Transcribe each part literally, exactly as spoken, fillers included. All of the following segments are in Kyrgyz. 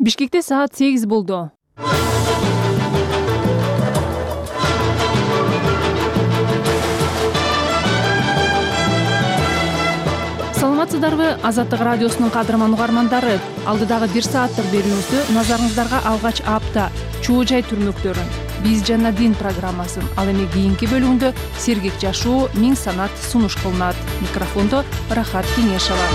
Бишкекте саат сегиз болду. Саламатсыздарбы, Азаттык радиосунун кадырман угармандары. Алдыдагы бир сааттык берүүбүздү назарыңыздарга алгач апта чуу жай түрмөктөрүн, биз жана дин программасын, ал эми кийинки бөлүгүндө сергек жашоо, миң санат сунуш кылынат. Микрофондо Рахат Кеңешова.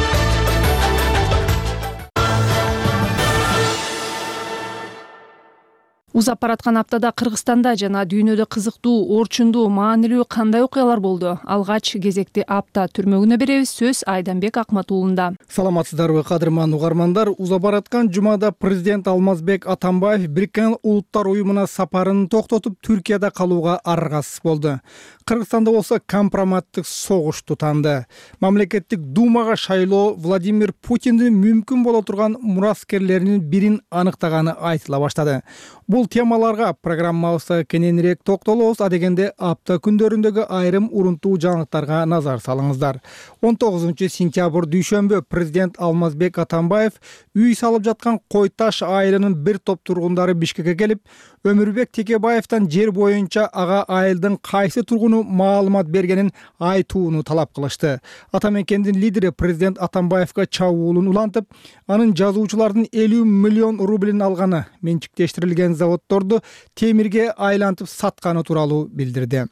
Узап бараткан аптада Кыргызстанда жана дүйнөдө кызыктуу, орчундуу, маанилүү кандай окуялар болду? Алгач кезекти апта түрмөгүнө беребиз. Сөз Айданбек Акматуулунда. Саламатсыздарбы, кадырман угармандар. Узап бараткан жумада президент Алмазбек Атамбаев Бириккен Улуттар уюмуна сапарын токтотуп, Түркияда калууга аргасыз болду. Кыргызстанда болсо компроматтык согуш тутанды. Мамлекеттик думага шайлоо Владимир Путиндин мүмкүн боло турган мураскерлеринин бирин аныктаганы айтыла баштады. Бул темаларга программабызда кененирээк токтолобуз. Адегенде апта күндөрүндөгү айрым урунтуу жаңылыктарга назар салыңыздар. он тогузунчу сентябрь дүйшөмбү президент Алмазбек Атамбаев үй салып жаткан Кой Таш айылынын бир топ тургундары Бишкекке келип, Өмүрбек Текебаевден жер боюнча ага айылдын кайсы тургуну маалымат бергенин айтууну талап кылышты. Ата мекендин лидери президент Атамбаевга чабуулун улантып, анын жазуучулардын элүү миллион рублин алганы, менчиктештирилген заводдорду темирге айлантып сатканы тууралуу билдирди.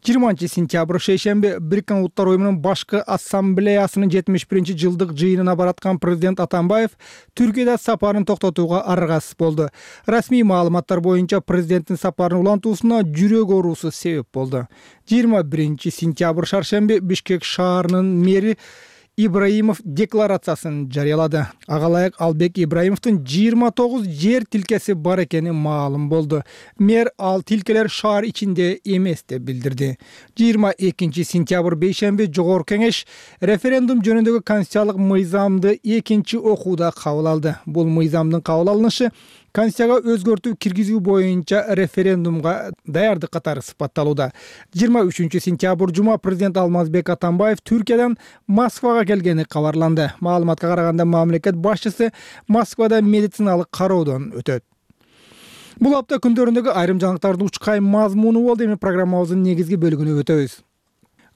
жыйырманчы сентябрь шейшемби Бириккен Улуттар уюмунун башкы ассамблеясынын жетимиш биринчи жылдык жыйынына бараткан президент Атамбаев Түркияда сапарын токтотууга аргасыз болду. Расмий маалыматтар боюнча президенттин сапарын улантуусуна жүрөк оорусу себеп болду. жыйырма биринчи сентябрь шаршемби Бишкек шаарынын мэри Ибраимов декларациясын жарыялады. Ага ылайык Албек Ибраимовдун жыйырма тогуз жер тилкеси бар экени маалым болду. Мэр ал тилкелер шаар ичинде эмес деп билдирди. жыйырма экинчи сентябрь бейшемби Жогорку Кеңеш референдум жөнүндөгү конституциялык мыйзамды экинчи окууда кабыл алды. Бул мыйзамдын кабыл алынышы Конституцияга өзгөртүү киргизүү боюнча референдумга даярдык катары сыпатталууда. жыйырма үчүнчү сентябрь жума президент Алмазбек Атамбаев Түркиядан Москвага келгени кабарланды. Маалыматка караганда мамлекет башчысы Москвада медициналык кароодон өтөт. Бул апта күндөрүндөгү айрым жаңылыктардын учкай мазмуну болду. Эми программабыздын негизги бөлүгүнө өтөбүз.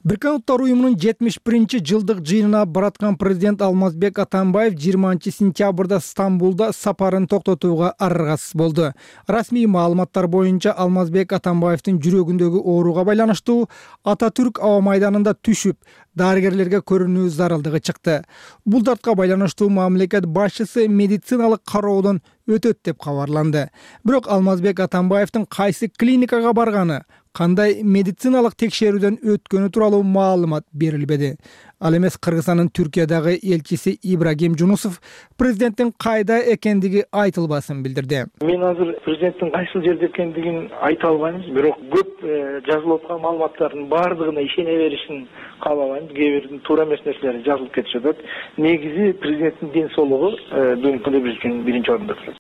Бириккен Улуттар уюмунун жетимиш биринчи жылдык жыйынына бараткан президент Алмазбек Атамбаев жыйырманчы сентябрда Стамбулда сапарын токтотууга аргасыз болду. Расмий маалыматтар боюнча Алмазбек Атамбаевдин жүрөгүндөгү ооруга байланыштуу Ататүрк аба майданында түшүп, дарыгерлерге көрүнүү зарылдыгы чыкты. Бул дартка байланыштуу мамлекет башчысы медициналык кароодон өтөт деп кабарланды. Бирок Алмазбек Атамбаевдин кайсы клиникага барганы, кандай медициналык текшерүүдөн өткөнү тууралуу маалымат берилбеди. Ал эмес Кыргызстандын Түркиядагы элчиси Ибрагим Жунусов президенттин кайда экендиги айтылбасын билдирди. Мен азыр президенттин кайсыл жерде экендигин айта албайм, бирок көп жазылып аткан маалыматтардын баардыгына ишене беришин каалабайм. Кээ бир туура эмес нерселер жазылып кетишет. Негизи президенттин ден соолугу бүгүнкү күндө биз үчүн биринчи орунда турат.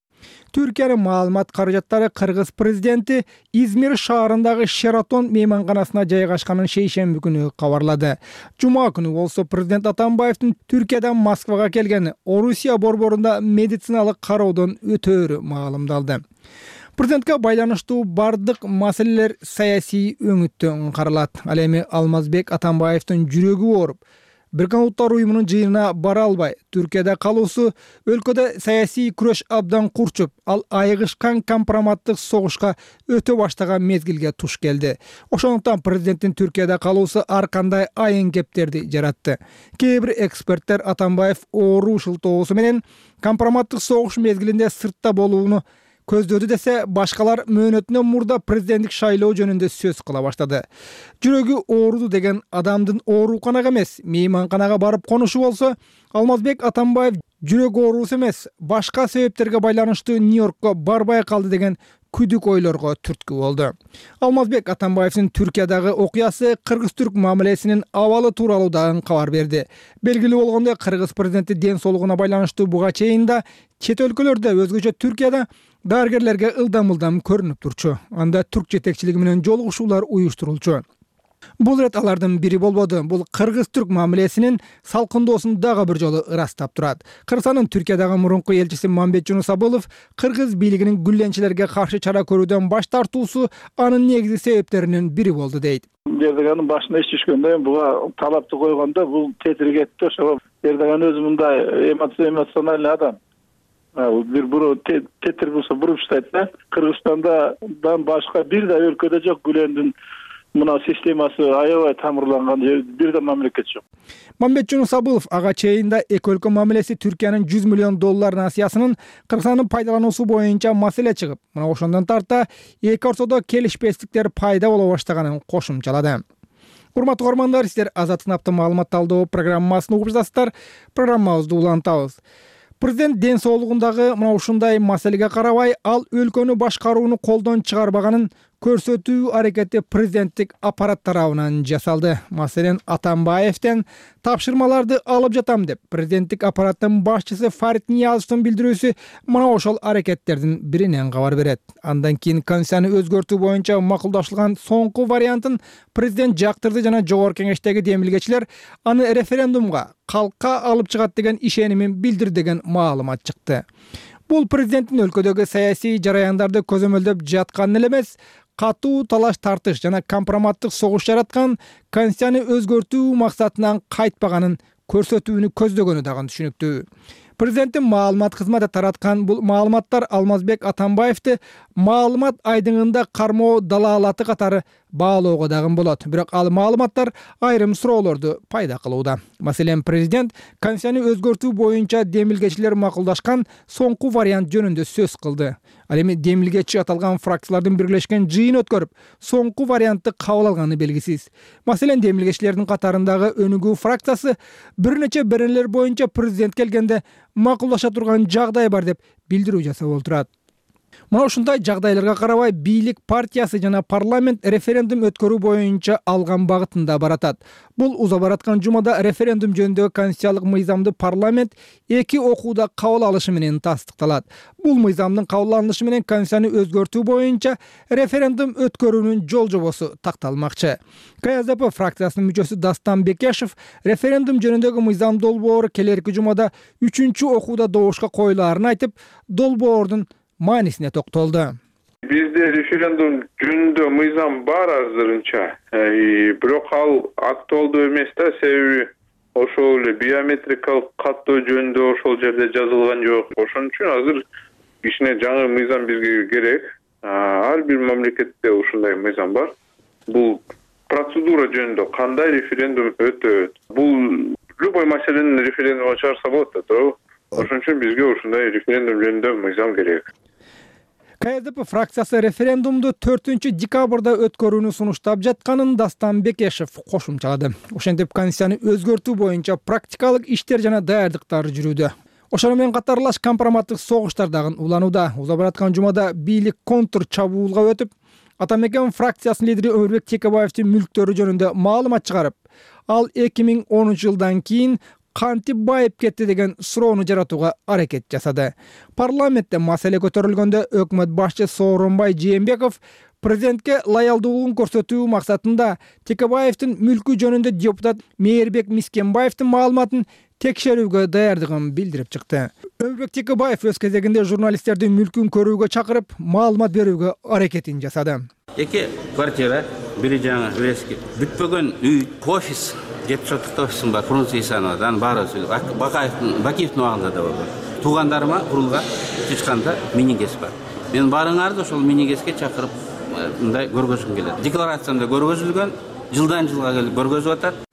Түркиянын маалымат каражаттары Кыргыз президенти Измир шаарындагы Шератон мейманканасына жайгашканын шейшемби күнү кабарлады. Жума күнү болсо президент Атамбаевдин Түркиядан Москвага келгени, Орусия борборунда медициналык кароодон өтөөрү маалымдалды. Президентке байланыштуу бардык маселелер саясий өңүттөн каралат. Ал эми Алмазбек Атамбаевдин жүрөгү ооруп, Бириккен Улуттар уюмунун жыйынына бара албай, Түркияда калуусу өлкөдө саясий күрөш абдан курчуп, ал айыгышкан компроматтык согушка өтө баштаган мезгилге туш келди. Ошондуктан президенттин Түркияда калуусу ар кандай айын кептерди жаратты. Кээ бир эксперттер Атамбаев оору шылтоосу менен компроматтык согуш мезгилинде сыртта болууну көздөөдү десе, башкалар мөөнөтүнөн мурда президенттик шайлоо жөнүндө сөз кыла баштады. Жүрөгү ооруду деген адамдын ооруканага эмес, мейманканага барып конушу болсо, Алмазбек Атамбаев жүрөк оорусу эмес, башка себептерге байланыштуу Нью-Йоркко барбай калды деген күдүк ойлорго түрткү болду. Алмазбек Атамбаевдин Түркиядагы окуясы кыргыз-түрк мамилесинин абалы тууралуу дагы кабар берди. Белгилүү болгондой, кыргыз президенти ден соолугуна байланыштуу буга чейин да чет өлкөлөрдө, өзгөчө Түркияда дарыгерлерге ылдам-ылдам көрүнүп турчу. Анда түрк жетекчилиги менен жолугушуулар уюштурулчу. Бул ирет алардын бири болбоду. Бул кыргыз-түрк мамилесинин салкындоосун дагы бир жолу ырастап турат. Кыргызстандын Түркиядагы мурунку элчиси Мамбет Жунусабылов кыргыз бийлигинин гүлленчилерге каршы чара көрүүдөн баш тартуусу анын негизги себептеринин бири болду дейт. Эрдоганын башына иш түшкөндө буга талапты койгондо бул тетирип кетти. Ошого Эрдоган өзү мындай эмоциональный адам. Бир буру тетир болсо буруп иштейт да. Кыргызстандан башка бир да өлкөдө жок гүлөндүн мына системасы аябай тамырланган бир да мамлекет жок. Мамбет Жунусабылов ага чейин да эки өлкө мамилеси Түркиянын жүз миллион доллар насыясынын Кыргызстандын пайдалануусу боюнча маселе чыгып, мына ошондон тарта эки ортодо келишпестиктер пайда боло баштаганын кошумчалады. Урматтуу угармандар, сиздер Азаттык наптын маалымат талдоо программасын угуп жатасыздар. Программабызды улантабыз. Президент ден соолугундагы мына ушундай маселеге карабай, ал өлкөнү башкарууну колдон чыгарбаганын көрсөтүү аракети президенттик аппарат тарабынан жасалды. Маселен, Атамбаевден тапшырмаларды алып жатам деп президенттик аппараттын башчысы Фарид Ниязовдун билдирүүсү мына ошол аракеттердин биринен кабар берет. Андан кийин Конституцияны өзгөртүү боюнча макулдашылган соңку вариантын президент жактырды жана жогорку кеңештеги демилгечилер аны референдумга калкка алып чыгат деген ишенимин билдирди деген маалымат чыкты. Бул президенттин өлкөдөгү саясий жараяндарды көзөмөлдөп жатканы эле эмес, катуу талаш тартыш жана компроматтык согуш жараткан, Конституцияны өзгөртүү максатынан кайтпаганын көрсөтүүнү көздөгөнү дагы түшүнүктүү. Президенттин маалымат кызматы тараткан бул маалыматтар Алмазбек Атамбаевди маалымат айдыңында кармоо далаалаты катары баалоого дагы болот. Бирок ал маалыматтар айрым суроолорду пайда кылууда. Маселен, президент Конституцияны өзгөртүү боюнча демилгечилер макулдашкан соңку вариант жөнүндө сөз кылды. Ал эми демилгечи аталган фракциялардын бирилешкен жыйын өткөрүп, соңку вариантты кабыл алганы белгисиз. Маселен, демилгечилердин катарындагы Өнүгүү фракциясы бир нече беренелер боюнча президент келгенде макулдаша турган жагдай бар деп билдирүү жасап отурат. Мына ушундай жагдайларга карабай, бийлик партиясы жана парламент референдум өткөрүү боюнча алган багытында баратат. Бул уза бараткан жумада референдум жөнүндөгү конституциялык мыйзамды парламент эки окууда кабыл алышы менен тастыкталат. Бул мыйзамдын кабыл алынышы менен Конституцияны өзгөртүү боюнча референдум өткөрүүнүн жол жобосу такталмакчы. К З П фракциясынын мүчөсү Дастан Бекешев референдум жөнүндөгү мыйзам долбоору келерки жумада үчүнчү окууда добушка коюлаарын айтып, долбоордун маанисине токтолду. Бизде референдум жөнүндө мыйзам бар азырынча, бирок ал актуалдуу эмес да, себеби ошол эле биометрикалык каттоо жөнүндө ошол жерде жазылган жок. Ошон үчүн азыр кичине жаңы мыйзам бизге керек. Ар бир мамлекетте ушундай мыйзам бар. Бул процедура жөнүндө кандай референдум өтөт. Бул любой маселени референдумга чыгарса болот да, туурабы? Ошон үчүн бизге ушундай референдум жөнүндө мыйзам керек. К З П фракциясы референдумду төртүнчү декабрда өткөрүүнү сунуштап жатканын Дастан Бекешев кошумчалады. Ошентип Конституцияны өзгөртүү боюнча практикалык иштер жана даярдыктар жүрүүдө. Ошону менен катарлаш компроматтык согуштар дагы уланууда. Уза бараткан жумада бийлик контр чабуулга өтүп, Атамекен фракциясынын лидери Өмүрбек Текебаевдин мүлктөрү жөнүндө маалымат чыгарып, ал эки миң онунчу жылдан кийин кантип байып кетти деген суроону жаратууга аракет жасады. Парламентте маселе көтөрүлгөндө өкмөт башчысы Сооронбай Жээнбеков президентке лоялдуулугун көрсөтүү максатында Текебаевдин мүлкү жөнүндө депутат Мээрбек Мискенбаевдин маалыматын текшерүүгө даярдыгын билдирип чыкты. Өмүрбек Текебаев өз кезегинде журналисттердин мүлкүн көрүүгө чакырып, маалымат берүүгө аракетин жасады. Эки квартира, бири жаңы Врески, бүтпөгөн үй, офис, жети соттук офисим бар, Фрунзе Исановадан баарыбыз Бакаевдин, Бакиевдин убагында да болду. Туугандарыма курулга чычканда мини-гэс бар. Мен баарыңарды ошол мини-гэске чакырып, мындай көргөзгүм келет. Декларациямда көргөзүлгөн, жылдан жылга келип көргөзүп атат.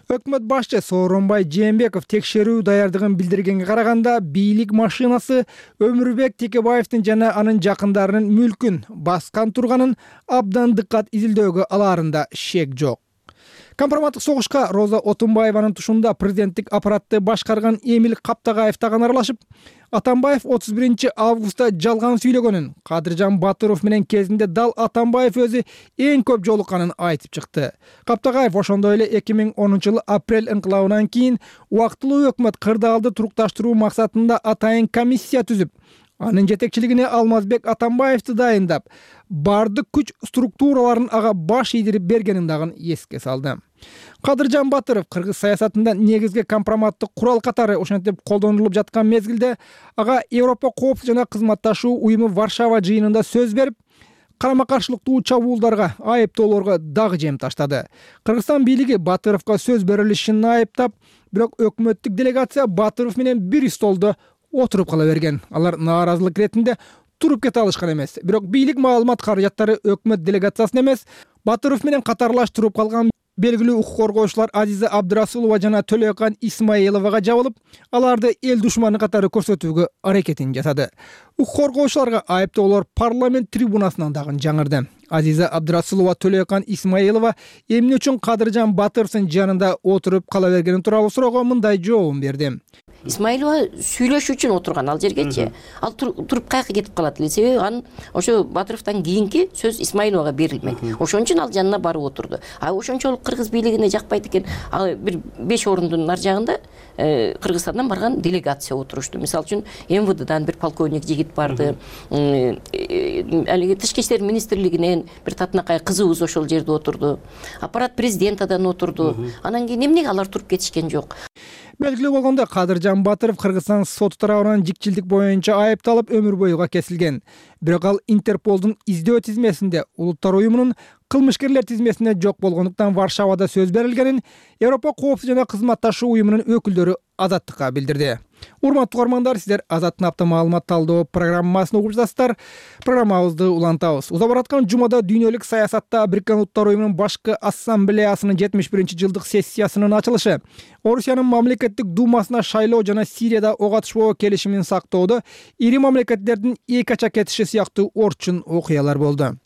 Өкмөт башчы Сооронбай Жээнбеков текшерүү даярдыгын билдиргенге караганда, бийлик машинасы Өмүрбек Текебаевдин жана анын жакындарынын мүлкүн баскан турганын абдан дыккат изилдөөгө алаарында шек жок. Компроматтык согушка Роза Отунбаеванын тушунда президенттик аппаратты башкарган Эмил Каптагаев дагы аралашып, Атамбаев отуз биринчи августта жалган сүйлөгөнүн, Кадыржан Батыров менен кезинде дал Атамбаев өзү эң көп жолукканын айтып чыкты. Каптагаев ошондой эле эки миң онунчу жылы апрель инкылабынан кийин убактылуу өкмөт кырдаалды турукташтыруу максатында атайын комиссия түзүп, Анын жетекчилигине Алмазбек Атамбаевди дайындап, бардык күч структураларын ага баш ийдирип бергенин дагы эске салды. Кадыржан Батыров кыргыз саясатында негизги компроматтык курал катары ошентип колдонулуп жаткан мезгилде ага Европа коопсуздук жана кызматташуу уюму Варшава жыйынында сөз берип, карама-каршылыктуу чабуулдарга, айыптоолорго дагы жем таштады. Кыргызстан бийлиги Батыровго сөз берилишин айыптап, бирок өкмөттүк делегация Батыров менен бир столдо отуруп кала берген. Алар нааразылык иретинде туруп кете алышкан эмес. Бирок бийлик маалымат каражаттары өкмөт делегациясын эмес, Батыров менен катарлаш туруп калган белгилүү укук коргоочулар Азиза Абдырасулова жана Төлөкан Исмаиловага жабылып, аларды эл душманы катары көрсөтүүгө аракетин жасады. Укук коргоочуларга айыптоолор парламент трибунасынан дагы жаңырды. Азиза Абдырасулова Төлөкан Исмаилова эмне үчүн Кадыржан Батыровдун жанында отуруп кала бергени тууралуу суроого мындай жообун берди. Исмаилова сүйлөшүү үчүн отурган ал жергечи. Ал туруп каяка кетип калат эле. Себеби анын ошо Батыровдон кийинки сөз Исмаиловага берилмек. Ошон үчүн ал жанына барып отурду. А ошончолук кыргыз бийлигине жакпайт экен. Ал бир беш орундун ар жагында Кыргызстандан барган делегация отурушту. Мисалы үчүн эм вэ дэдан бир полковник жигит барды. Алиги тышкы иштер министрлигинен бир татынакай кызыбыз ошол жерде отурду. Аппарат президентадан отурду. Анан кийин эмнеге алар туруп кетишкен жок? Белгилүү болгондой, Кадыржан Батыров Кыргызстан соту тарабынан жикчилдик боюнча айыпталып өмүр боюга кесилген. Бирок ал Интерполдун издөө тизмесинде Улуттар уюмунун кылмышкерлер тизмесине жок болгондуктан Варшавада сөз берилгенин Европа коопсуздук жана кызматташуу уюмунун өкүлдөрү Азаттыкка билдирди. Урматтуу угармандар, сиздер Азаттын апта маалымат талдоо программасын угуп жатасыздар. Программабызды улантабыз. Уза бараткан жумада дүйнөлүк саясатта Бириккен Улуттар уюмунун башкы ассамблеясынын жетимиш биринчи жылдык сессиясынын ачылышы, Орусиянын мамлекеттик думасына шайлоо жана Сирияда ок атышпоо келишимин сактоодо ири мамлекеттердин эки ача кетиши сыяктуу орчун окуялар болду.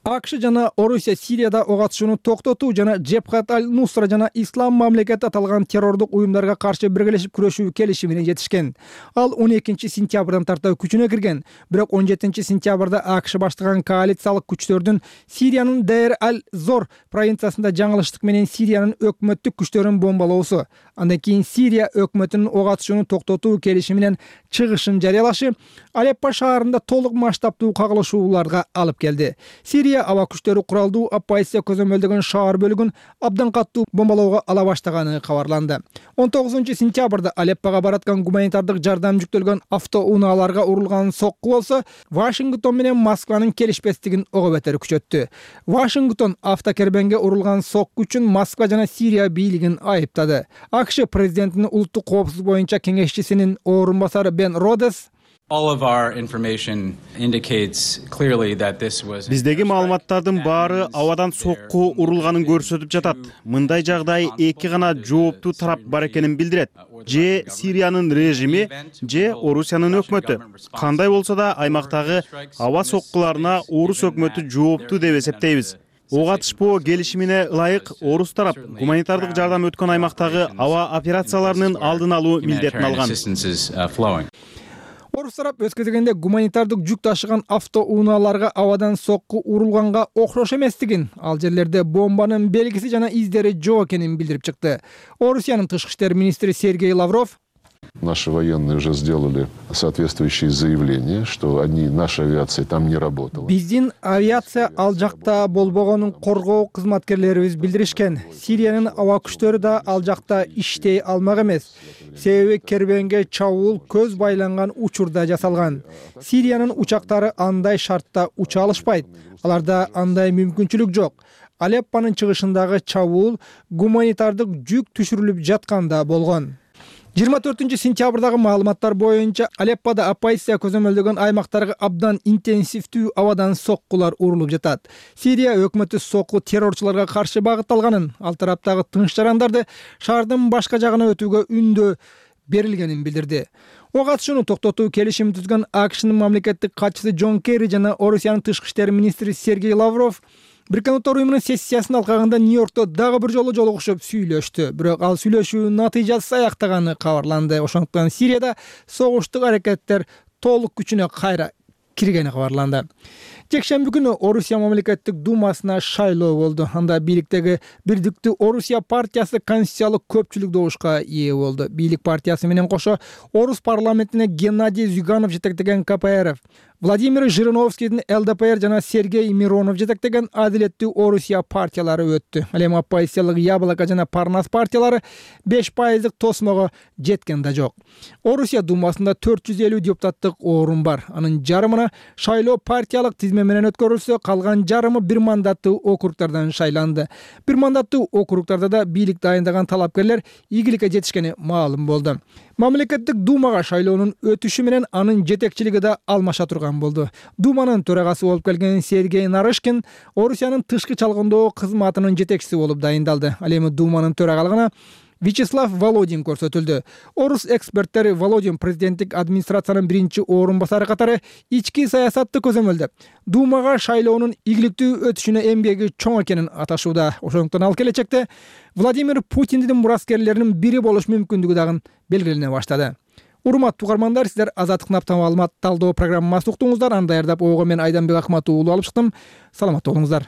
АКШ жана Орусия Сирияда ок атышууну токтотуу жана Джебхат аль-Нусра жана Ислам мамлекети аталган террордук уюмдарга каршы биргелешип күрөшүү келишимине жетишкен. Ал он экинчи сентябрдан тарта күчүнө кирген. Бирок он жетинчи сентябрда АКШ баштаган коалициялык күчтөрдүн Сириянын Дейр аль-Зор провинциясында жаңылыштык менен Сириянын өкмөттүк күчтөрүн бомбалоосу, андан кийин Сирия өкмөтүнүн ок атышууну токтотуу келишиминен чыгышын жарыялашы Алеппо шаарында толук масштабтуу кагылышууларга алып келди. Сирия аба күчтөрү куралдуу оппозиция көзөмөлдөгөн шаар бөлүгүн абдан каттуу бомбалоого ала баштаганы кабарланды. он тогузунчу сентябрда Алеппого бараткан гуманитардык жардам жүктөлгөн автоунааларга урулган сокку болсо, Вашингтон менен Москванын келишпестигин ого бетер күчөттү. Вашингтон автокербенге урулган сокку үчүн Москва жана Сирия бийлигин айыптады. АКШ президентинин улуттук коопсуздук боюнча кеңешчисинин орун басары Бен Родес Биздеги маалыматтардын баары абадан сокку урулганын көрсөтүп жатат. Мындай жагдай эки гана жооптуу тарап бар экенин билдирет. Же Сириянын режими, же Орусиянын өкмөтү. Кандай болсо да аймактагы аба соккуларына Орус өкмөтү жооптуу деп эсептейбиз. Ок атышпоо келишимине ылайык Орус тарап гуманитардык жардам өткөн аймактагы аба операцияларынын алдын алуу милдетин алган. Орус тарап өз кезегинде гуманитардык жүк ташыган автоунааларга абадан сокку урулганга окшош эместигин, ал жерлерде бомбанын белгиси жана издери жок экенин билдирип чыкты. Орусиянын тышкы иштер министри Сергей Лавров Наши военные уже сделали соответствующие заявления, что они, наша авиация там не работала. Биздин авиация ал жакта болбогонун коргоо кызматкерлерибиз билдиришкен. Сириянын аба күчтөрү да ал жакта иштей алмак эмес. Себеби кербенге чабуул көз байланган учурда жасалган. Сириянын учактары андай шартта уча алышпайт. Аларда андай мүмкүнчүлүк жок. Алеппонун чыгышындагы чабуул гуманитардык жүк түшүрүлүп жатканда болгон. жыйырма төртүнчү сентябрдагы маалыматтар боюнча Алеппода оппозиция көзөмөлдөгөн аймактарга абдан интенсивдүү абадан соккулар урулуп жатат. Сирия өкмөтү сокку террорчуларга каршы багытталганын, ал тараптагы тынч жарандарды шаардын башка жагына өтүүгө үндөө берилгенин билдирди. Ок атышууну токтотуу келишимин түзгөн АКШнын мамлекеттик катчысы Джон Керри жана Орусиянын тышкы иштер министри Сергей Лавров Бириккен Улуттар уюмунун сессиясын алкагында Нью-Йоркто дагы бир жолу жолугушуп сүйлөштү. Бирок ал сүйлөшүү натыйжасыз аяктаганы кабарланды. Ошондуктан Сирияда согуштук аракеттер толук күчүнө кайра киргени кабарланды. Жекшемби күнү Орусия мамлекеттик думасына шайлоо болду. Анда бийликтеги Бирдиктүү Орусия партиясы конституциялык көпчүлүк добушка ээ болду. Бийлик партиясы менен кошо Орус парламентине Геннадий Зюганов жетектеген ка пэ эр эф, Владимир Жириновскийдин эл дэ пэ эр жана Сергей Миронов жетектеген Адилеттүү Орусия партиялары өттү. Ал эми оппозициялык Яблоко жана Парнас партиялары беш пайыздык тосмого жеткен да жок. Орусия думасында төрт жүз элүү депутаттык орун бар. Анын жарымына шайлоо партиялык тизме менен өткөрүлсө, калган жарымы бир мандаттуу округтардан шайланды. Бир мандаттуу округтарда да бийлик дайындаган талапкерлер ийгиликке жетишкени маалым болду. Мамлекеттик думага шайлоонун өтүшү менен анын жетекчилиги да алмаша турган болду. Думанын төрагасы болуп келген Сергей Нарышкин Орусиянын тышкы чалгындоо кызматынын жетекчиси болуп дайындалды. Ал эми Думанын төрагалыгына Вячеслав Володин көрсөтүлдү. Орус эксперттери Володин президенттик администрациянын биринчи орун басары катары ички саясатты көзөмөлдөп, Думага шайлоонун ийгиликтүү өтүшүнө эмгеги чоң экенин аташууда. Ошондуктан ал келечекте Владимир Путиндин мураскерлеринин бири болуш мүмкүндүгү дагы белгилене баштады. Урматтуу угармандар, сиздер Азаттык Наптан маалымат талдоо программасы уктуңуздар. Аны даярдап ойго мен Айданбек Акматов уулу алып чыктым. Саламатта болуңуздар.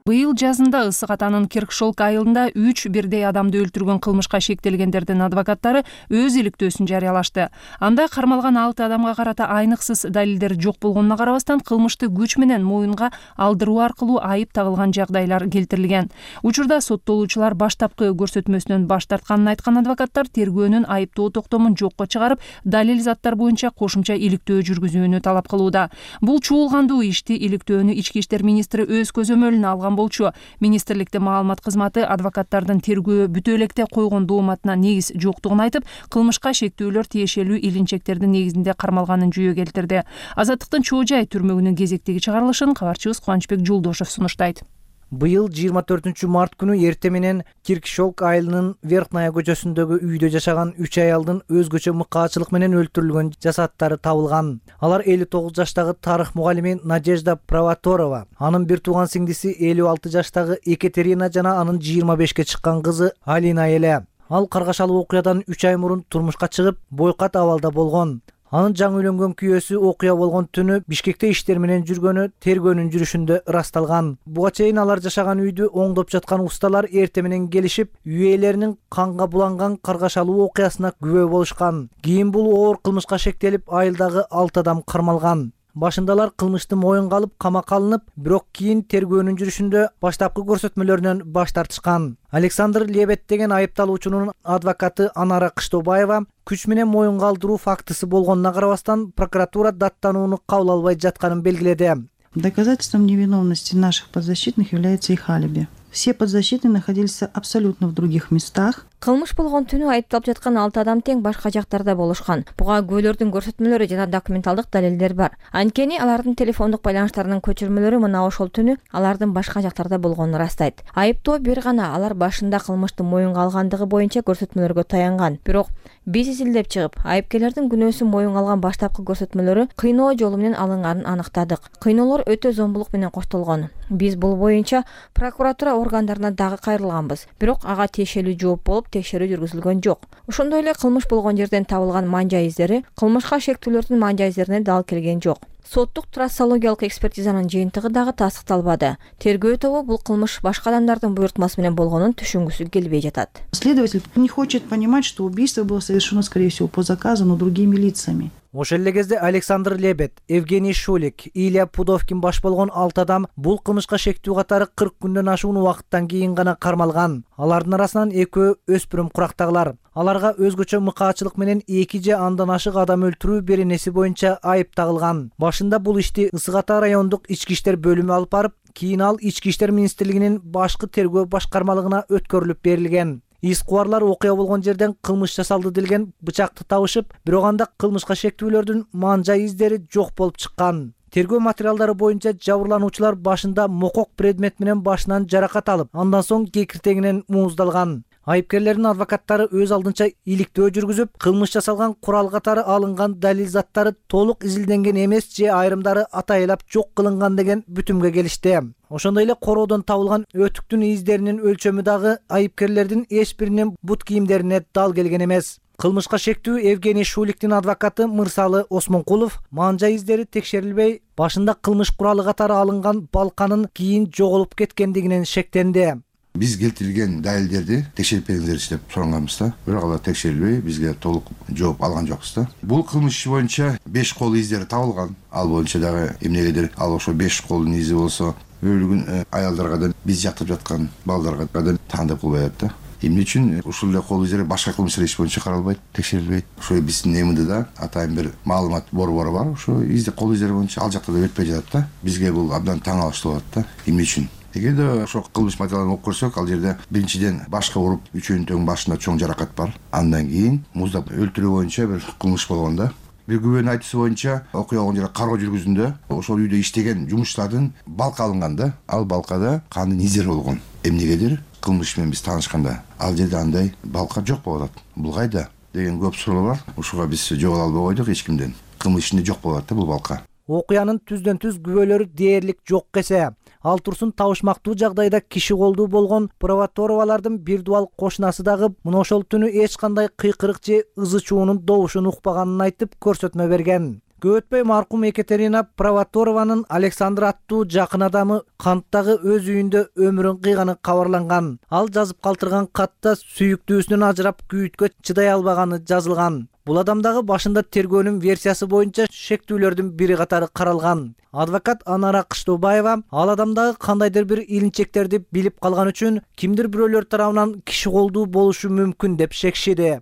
Быйыл жазында Ысык Атанын Киркшолк айылында үч бирдей адамды өлтүргөн кылмышка шектелгендердин адвокаттары өз иликтөөсүн жарыялашты. Анда кармалган алты адамга карата айныксыз далилдер жок болгонуна карабастан кылмышты күч менен моюнга алдыруу аркылуу айып тагылган жагдайлар келтирилген. Учурда соттолуучулар баштапкы көрсөтмөсүнөн баш тартканын айткан адвокаттар тергөөнүн айыптоо токтомун жокко чыгарып, далил заттар боюнча кошумча иликтөө жүргүзүүнү талап кылууда. Бул чуулгандуу ишти иликтөөнү Ички иштер министри өз көзөмөлүнө алган болчу. Министрликтин маалымат кызматы адвокаттардын тергөө бүтө электе койгон дооматына негиз жоктугун айтып, кылмышка шектүүлөр тиешелүү илинчектердин негизинде кармалганын жүйө келтирди. Азаттыктын Чоо жай түрмөгүнүн кезектеги чыгарылышын кабарчыбыз Кубанычбек Жолдошев сунуштайт. Быйыл жыйырма төртүнчү март күнү эрте менен Киркшолк айылынын Верхная көчөсүндөгү үйдө жашаган үч аялдын өзгөчө мыкаачылык менен өлтүрүлгөн жасаттары табылган. Алар элүү тогуз жаштагы тарых мугалими Надежда Провоторова, анын бир тууган сиңдиси элүү алты жаштагы Екатерина жана анын жыйырма бешке чыккан кызы Алина эле. Ал каргашалуу окуядан үч ай мурун турмушка чыгып, бойкат абалда болгон. Анын жаңы үйлөнгөн күйөөсү окуя болгон түнү Бишкекте иштер менен жүргөнү тергөөнүн жүрүшүндө ырасталган. Буга чейин алар жашаган үйдү оңдоп жаткан усталар эрте менен келишип, үй ээлеринин канга буланган каргашалуу окуясына күбө болушкан. Кийин бул оор кылмышка шектелип, айылдагы алты адам кармалган. Башындалар кылмышты моюнга алып камакка алынып, бирок кийин тергөөнүн жүрүшүндө баштапкы көрсөтмөлөрүнөн баш тартышкан. Александр Лебед деген айыпталуучунун адвокаты Анара Кыштобаева күч менен моюнга алдыруу фактысы болгонуна карабастан прокуратура даттанууну кабыл албай жатканын белгиледи. Доказательством невиновности наших подзащитных является их алиби. Все подзащитные находились абсолютно в других местах. Кылмыш болгон түнү айыпталып жаткан алты адам тең башка жактарда болушкан. Буга күбөлөрдүн көрсөтмөлөрү жана документалдык далилдер бар. Анткени алардын телефондук байланыштарынын көчүрмөлөрү мына ошол түнү алардын башка жактарда болгонун ырастайт. Айыптоо бир гана алар башында кылмышты моюнга алгандыгы боюнча көрсөтмөлөргө таянган. Бирок биз изилдеп чыгып, айыпкерлердин күнөөсүн моюнга алган баштапкы көрсөтмөлөрү кыйноо жолу менен алынганын аныктадык. Кыйноолор өтө зомбулук менен коштолгон. Биз бул боюнча прокуратура органдарына дагы кайрылганбыз. Бирок ага тиешелүү жооп болуп текшерүү жүргүзүлгөн жок. Ошондой эле кылмыш болгон жерден табылган манжа издери кылмышка шектүүлөрдүн манжа издерине дал келген жок. Соттук трассологиялык экспертизанын жыйынтыгы дагы тастыкталбады. Тергөө тобу бул кылмыш башка адамдардын буйртмасы менен болгонун түшүнгүсү келбей жатат. Следователь не хочет понимать, что убийство было совершено, скорее всего, по заказу, но другими лицами. Ошол эле кезде Александр Лебед, Евгений Шулик, Илья Пудовкин баш болгон алты адам бул кылмышка шектүү катары кырк күндөн ашуун убакыттан кийин гана кармалган. Алардын арасынан экөө өспүрүм курактагылар. Аларга өзгөчө мыкаачылык менен эки же андан ашык адам өлтүрүү беренеси боюнча айып тагылган. Башында бул ишти Ысык Ата райондук ички иштер бөлүмү алып барып, кийин ал Ички иштер министрлигинин башкы тергөө башкармалыгына өткөрүлүп берилген. Ис кубарлар окуя болгон жерден кылмыш жасалды делген бычакты табышып, бирок анда кылмышка шектүүлөрдүн манжа издери жок болуп чыккан. Тергөө материалдары боюнча жабырлануучулар башында мокок предмет менен башынан жаракат алып, андан соң кекиртегинен мууздалган. Айыпкерлердин адвокаттары өз алдынча иликтөө жүргүзүп, кылмыш жасалган курал катары алынган далил заттары толук изилденген эмес же айрымдары атайылап жок кылынган деген бүтүмгө келишти. Ошондой эле короодон табылган өтүктүн издеринин өлчөмү дагы айыпкерлердин эч биринин бут кийимдерине дал келген эмес. Кылмышка шектүү Евгений Шуликтин адвокаты Мырсалы Осмонкулов манжа издери текшерилбей, башында кылмыш куралы катары алынган балканын кийин жоголуп кеткендигинен шектенди. Биз келтирилген далилдерди текшерип бериңиздерчи деп суранганбыз да. Бирок алар текшерилбей, бизге толук жооп алган жокпуз да. Бул кылмыш иши боюнча беш кол издери табылган. Ал боюнча дагы эмнегедир ал ошо беш колдун изи болсо өлгөн аялдарга да биз жактап жаткан балдарга да таандык кылбай атат да. Эмне үчүн ушул эле кол издери башка кылмыш иш боюнча каралбайт, текшерилбейт? Ошо биздин МДда атайын бир маалымат борбору бар. Ошо изди кол издери боюнча ал жакта да өтпөй жатат да. Бизге бул абдан таң алыштуу болот да. Эмне үчүн? Эгерде ошо кылмыш материалын окуп көрсөк, ал жерде биринчиден башка уруп, үчөөнүн тең башында чоң жаракат бар. Андан кийин муздап өлтүрүү боюнча бир кылмыш болгон да. Бир күбөнүн айтуусу боюнча окуя болгон жерде кароо жүргүзүндө ошол үйдө иштеген жумушчулардын балка алынган да. Ал балкада кандын издери болгон. Эмнегедир кылмыш менен биз таанышканда ал жерде андай балка жок болуп атат. Бул кайда деген көп суроо бар. Ушуга биз жооп ала албай койдук эч кимден. Кылмыш ичинде жок болуп атат да бул балка. Окуянын түздөн түз күбөлөрү дээрлик жок эсе, ал турсун табышмактуу жагдайда киши колдуу болгон Провоторовалардын бир дубал кошунасы дагы мына ошол түнү эч кандай кыйкырык же ызы чуунун добушун укпаганын айтып көрсөтмө берген. Көп өтпөй маркум Екатерина Провоторованын Александр аттуу жакын адамы канттагы өз үйүндө өмүрүн кыйганы кабарланган. Ал жазып калтырган катта сүйүктүүсүнөн ажырап күйүткө чыдай албаганы жазылган. Бул адамдагы башында тергөөнүн версиясы боюнча шектүүлөрдүн бири катары каралган. Адвокат Анара Кыштообаева ал адамдагы кандайдыр бир илинчектерди билип калган үчүн кимдир бирөөлөр тарабынан киши колдуу болушу мүмкүн деп шекшиди.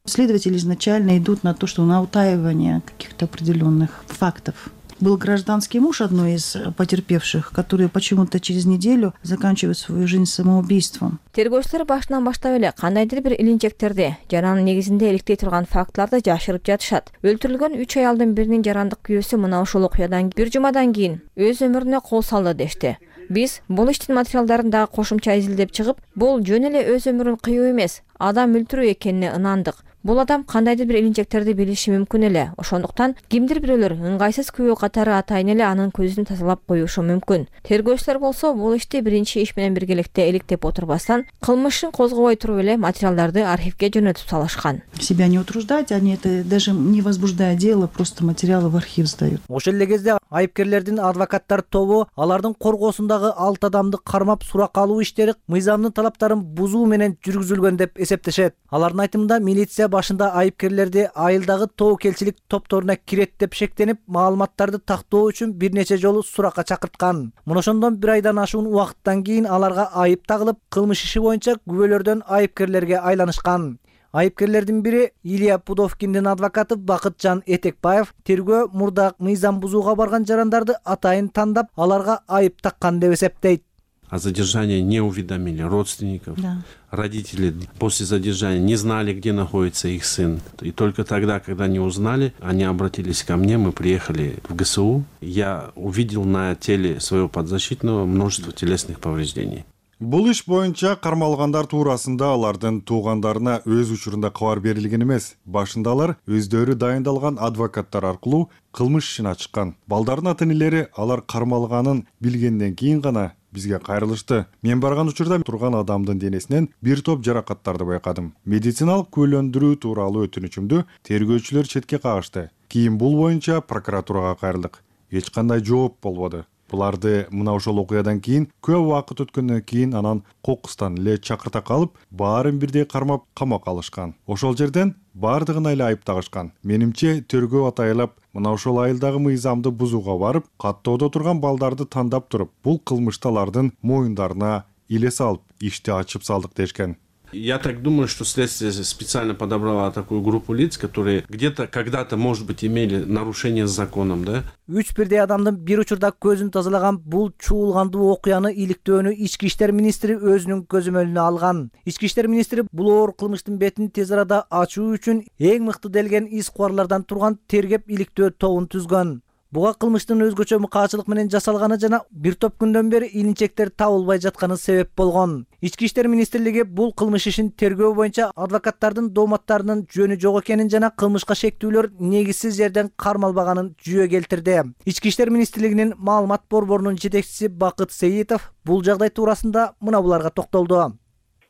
Следователи изначально идут на то, что на утаивание каких-то определенных фактов. Был гражданский муж одной из потерпевших, который почему-то через неделю заканчивает свою жизнь самоубийством. Тергөөчүлөр башынан баштап эле кандайдыр бир илинчектерди, жаранын негизинде иликтей турган фактыларды жашырып жатышат. Өлтүрүлгөн үч аялдын биринин жарандык күйөөсү мына ушул окуядан бир жумадан кийин өз өмүрүнө кол салды дешти. Биз бул иштин материалдарын дагы кошумча изилдеп чыгып, бул жөн эле өз өмүрүн кыюу эмес, адам өлтүрүү экенине ынандык. Бул адам кандайдыр бир илинчектерди билиши мүмкүн эле. Ошондуктан кимдир бирөөлөр ыңгайсыз күбө катары атайын эле анын көзүн тазалап коюшу мүмкүн. Тергөөчүлөр болсо бул ишти биринчи иш менен биргеликте иликтеп отурбастан, кылмышын козгобой туруп эле материалдарды архивге жөнөтүп салышкан. Себя не утруждать, они это даже не возбуждая дело, просто материалы в архив сдают. Ошол эле кезде айыпкерлердин адвокаттар тобу алардын коргоосундагы алты адамды кармап сурак алуу иштери мыйзамдын талаптарын бузуу менен жүргүзүлгөн деп эсептешет. Алардын айтымында милиция башында айыпкерлерди айылдагы тобокелчилик топторуна кирет деп шектенип, маалыматтарды тактоо үчүн бир нече жолу суракка чакырткан. Мына ошондон бир айдан ашуун убакыттан кийин аларга айып тагылып, кылмыш иши боюнча күбөлөрдөн айыпкерлерге айланышкан. Айыпкерлердин бири Илья Пудовкиндин адвокаты Бакытжан Этекбаев тергөө мурда мыйзам бузууга барган жарандарды атайын тандап, аларга айып таккан деп эсептейт. О задержании не уведомили родственников. Да. Родители после задержания не знали, где находится их сын. И только тогда, когда они узнали, они обратились ко мне, мы приехали в ГСУ. Я увидел на теле своего подзащитного множество телесных повреждений. Бул иш боюнча кармалгандар туурасында алардын туугандарына өз учурунда кабар берилген эмес. Башында алар өздөрү дайындалган адвокаттар аркылуу кылмыш ишин ачкан. Балдардын ата-энелери алар кармалганын билгенден кийин гана бизге кайрылышты. Мен барган учурда турган адамдын денесинен бир топ жаракаттарды байкадым. Медициналык күбөлөндүрүү тууралуу өтүнүчүмдү тергөөчүлөр четке кагышты. Кийин бул боюнча прокуратурага кайрылдык. Эч кандай жооп болбоду. Буларды мына ошол окуядан кийин көп убакыт өткөндөн кийин анан кокустан эле чакырта калып, баарын бирдей кармап камакка алышкан. Ошол жерден бардыгына эле айып тагышкан. Менимче тергөө атайылап, мына ошол айылдагы мыйзамды бузууга барып, каттоодо турган балдарды тандап туруп, бул кылмышты алардын моюндарына иле салып, ишти ачып салдык дешкен. Я так думаю, что следствие специально подобрало такую группу лиц, которые где-то когда-то, может быть, имели нарушение с законом, да? Үч бирдей адамдын бир учурда көзүн тазалаган бул чуулгандуу окуяны иликтөөнү Ички иштер министри өзүнүн көзөмөлүнө алган. Ички иштер министри бул оор кылмыштын бетин тез арада ачуу үчүн эң мыкты делген из кубарлардан турган тергеп иликтөө тобун түзгөн. Буга кылмыштын өзгөчө мыкаачылык менен жасалганы жана бир топ күндөн бери илинчектер табылбай жатканы себеп болгон. Ички иштер министрлиги бул кылмыш ишин тергөө боюнча адвокаттардын дооматтарынын жөнү жок экенин жана кылмышка шектүүлөр негизсиз жерден кармалбаганын жүйө келтирди. Ички иштер министрлигинин маалымат борборунун жетекчиси Бакыт Сейитов бул жагдай туурасында мына буларга токтолду.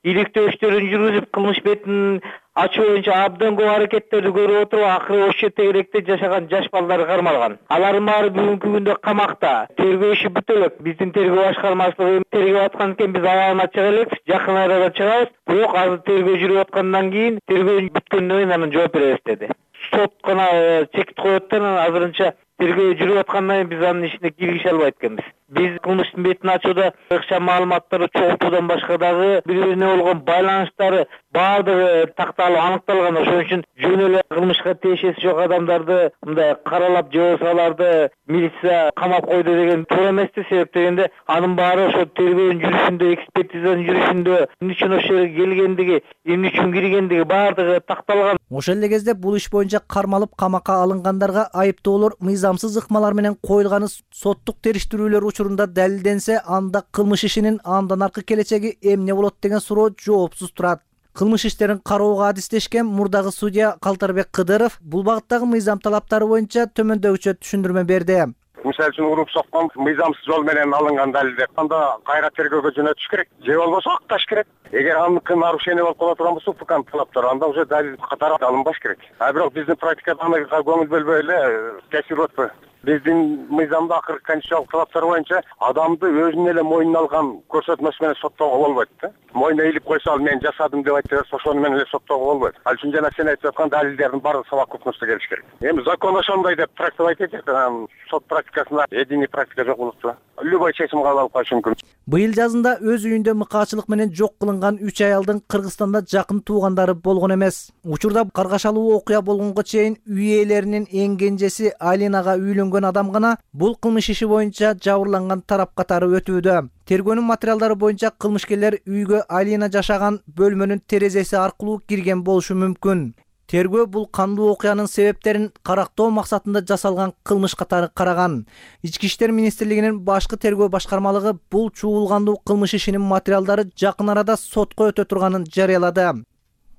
Иликтөө иштерин жүргүзүп, кылмыш бетин ачуу боюнча абдан көп аракеттерди көрүп отуруп, акыры ошо тегеректе жашаган жаш балдар кармалган. Алардын баары бүгүнкү күндө камакта. Тергөө иши бүтө элек. Биздин тергөө башкармачылыгы тергөө аткан экен, биз аягына чыга элек, жакын арада чыгабыз. Бирок азыр тергөө жүрүп аткандан кийин, тергөө бүткөндөн кийин анан жооп беребиз деди. Сот гана чекит коет да, азырынча тергөө жүрүп аткандан кийин биз анын ишине киргише албайт экенбиз. Биз кылмыштын бетин ачууда ыкчам маалыматтарды чогултуудан башка дагы бири-бирине болгон байланыштары баардыгы такталып аныкталган. Ошон үчүн жөн эле кылмышка тиешеси жок адамдарды мындай каралап же болбосо аларды милиция камап койду деген туура эмес да. Себеп дегенде анын баары ошо тергөөнүн жүрүшүндө, экспертизанын жүрүшүндө эмне үчүн ошол жерге келгендиги, эмне үчүн киргендиги баардыгы такталган. Ошол эле кезде бул иш боюнча кармалып камакка алынгандарга айыптоолор мыйзамсыз ыкмалар менен коюлганы соттук териштирүүлөр учурунда далилденсе, анда кылмыш ишинин андан аркы келечеги эмне болот деген суроо жоопсуз турат. Кылмыш иштерин кароого адистешкен мурдагы судья Калтарбек Кыдыров бул багыттагы мыйзам талаптары боюнча төмөндөгүчө түшүндүрмө берди. Мисалы үчүн уруп соккон мыйзамсыз жол менен алынган далилдер анда кайра тергөөгө жөнөтүш керек, же болбосо акташ керек. Эгер аныкы нарушение болуп кала турган болсо, УКМ талаптары анда уже далил катары алынбаш керек. А бирок биздин практикада анага көңүл бөлбөй эле кесип өтпөй. Биздин мыйзамда акыркы конституциялык талаптар боюнча адамды өзүнүн эле мойнуна алган көрсөтмөсү менен соттоого болбойт да. Мойнуна илип койсо, ал мен жасадым деп айтып берсе, ошону менен эле соттоого болбойт. Ал үчүн жана сен айтып аткан далилдердин баардыгы совокупностьто келиш керек. Эми закон ошондой деп трактовать этет, анан сот практикасында единый практика жок болуп турат. Любой чечим кабыл алып коюш мүмкүн. Быйыл жазында өз үйүндө мыкаачылык менен жок кылынган үч аялдын Кыргызстанда жакын туугандары болгон эмес. Учурда каргашалуу окуя болгонго чейин үй ээлеринин эң кенжеси Алинага үйлөнгөн адам гана бул кылмыш иши боюнча жабырланган тарап катары өтүүдө. Тергөөнүн материалдары боюнча кылмышкерлер үйгө Алина жашаган бөлмөнүн терезеси аркылуу кирген болушу мүмкүн. Тергөө бул кандуу окуянын себептерин карактоо максатында жасалган кылмыш катары караган. Ички иштер министрлигинин башкы тергөө башкармалыгы бул чуулгандуу кылмыш ишинин материалдары жакын арада сотко өтө турганын жарыялады.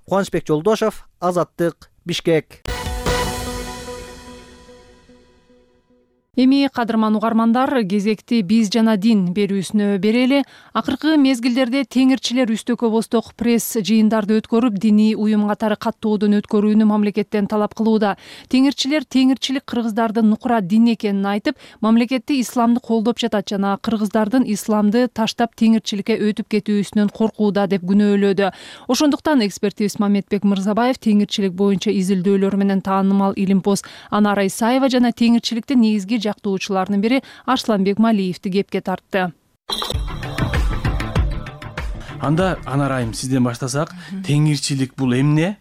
Кубанычбек Жолдошов, Азаттык, Бишкек. Эми кадырман угармандар, кезекти биз жана дин берүүсүнө берели. Акыркы мезгилдерде теңирчилер үстөкө босток пресс жыйындарды өткөрүп, диний уюм катары каттоодон өткөрүүнү мамлекеттен талап кылууда. Теңирчилер теңирчилик кыргыздардын нукура дин экенин айтып, мамлекетти исламды колдоп жатат жана кыргыздардын исламды таштап теңирчиликке өтүп кетүүсүнөн коркууда деп күнөөлөдү. Ошондуктан экспертибиз Мамедбек Мырзабаев теңирчилик боюнча изилдөөлөр менен таанымал илимпоз Анара Исаева жана теңирчиликтин негизги жактоочулардын бири Арсланбек Малиевди кепке тартты. Анда Анарайым, сизден баштасак, теңирчилик бул эмне?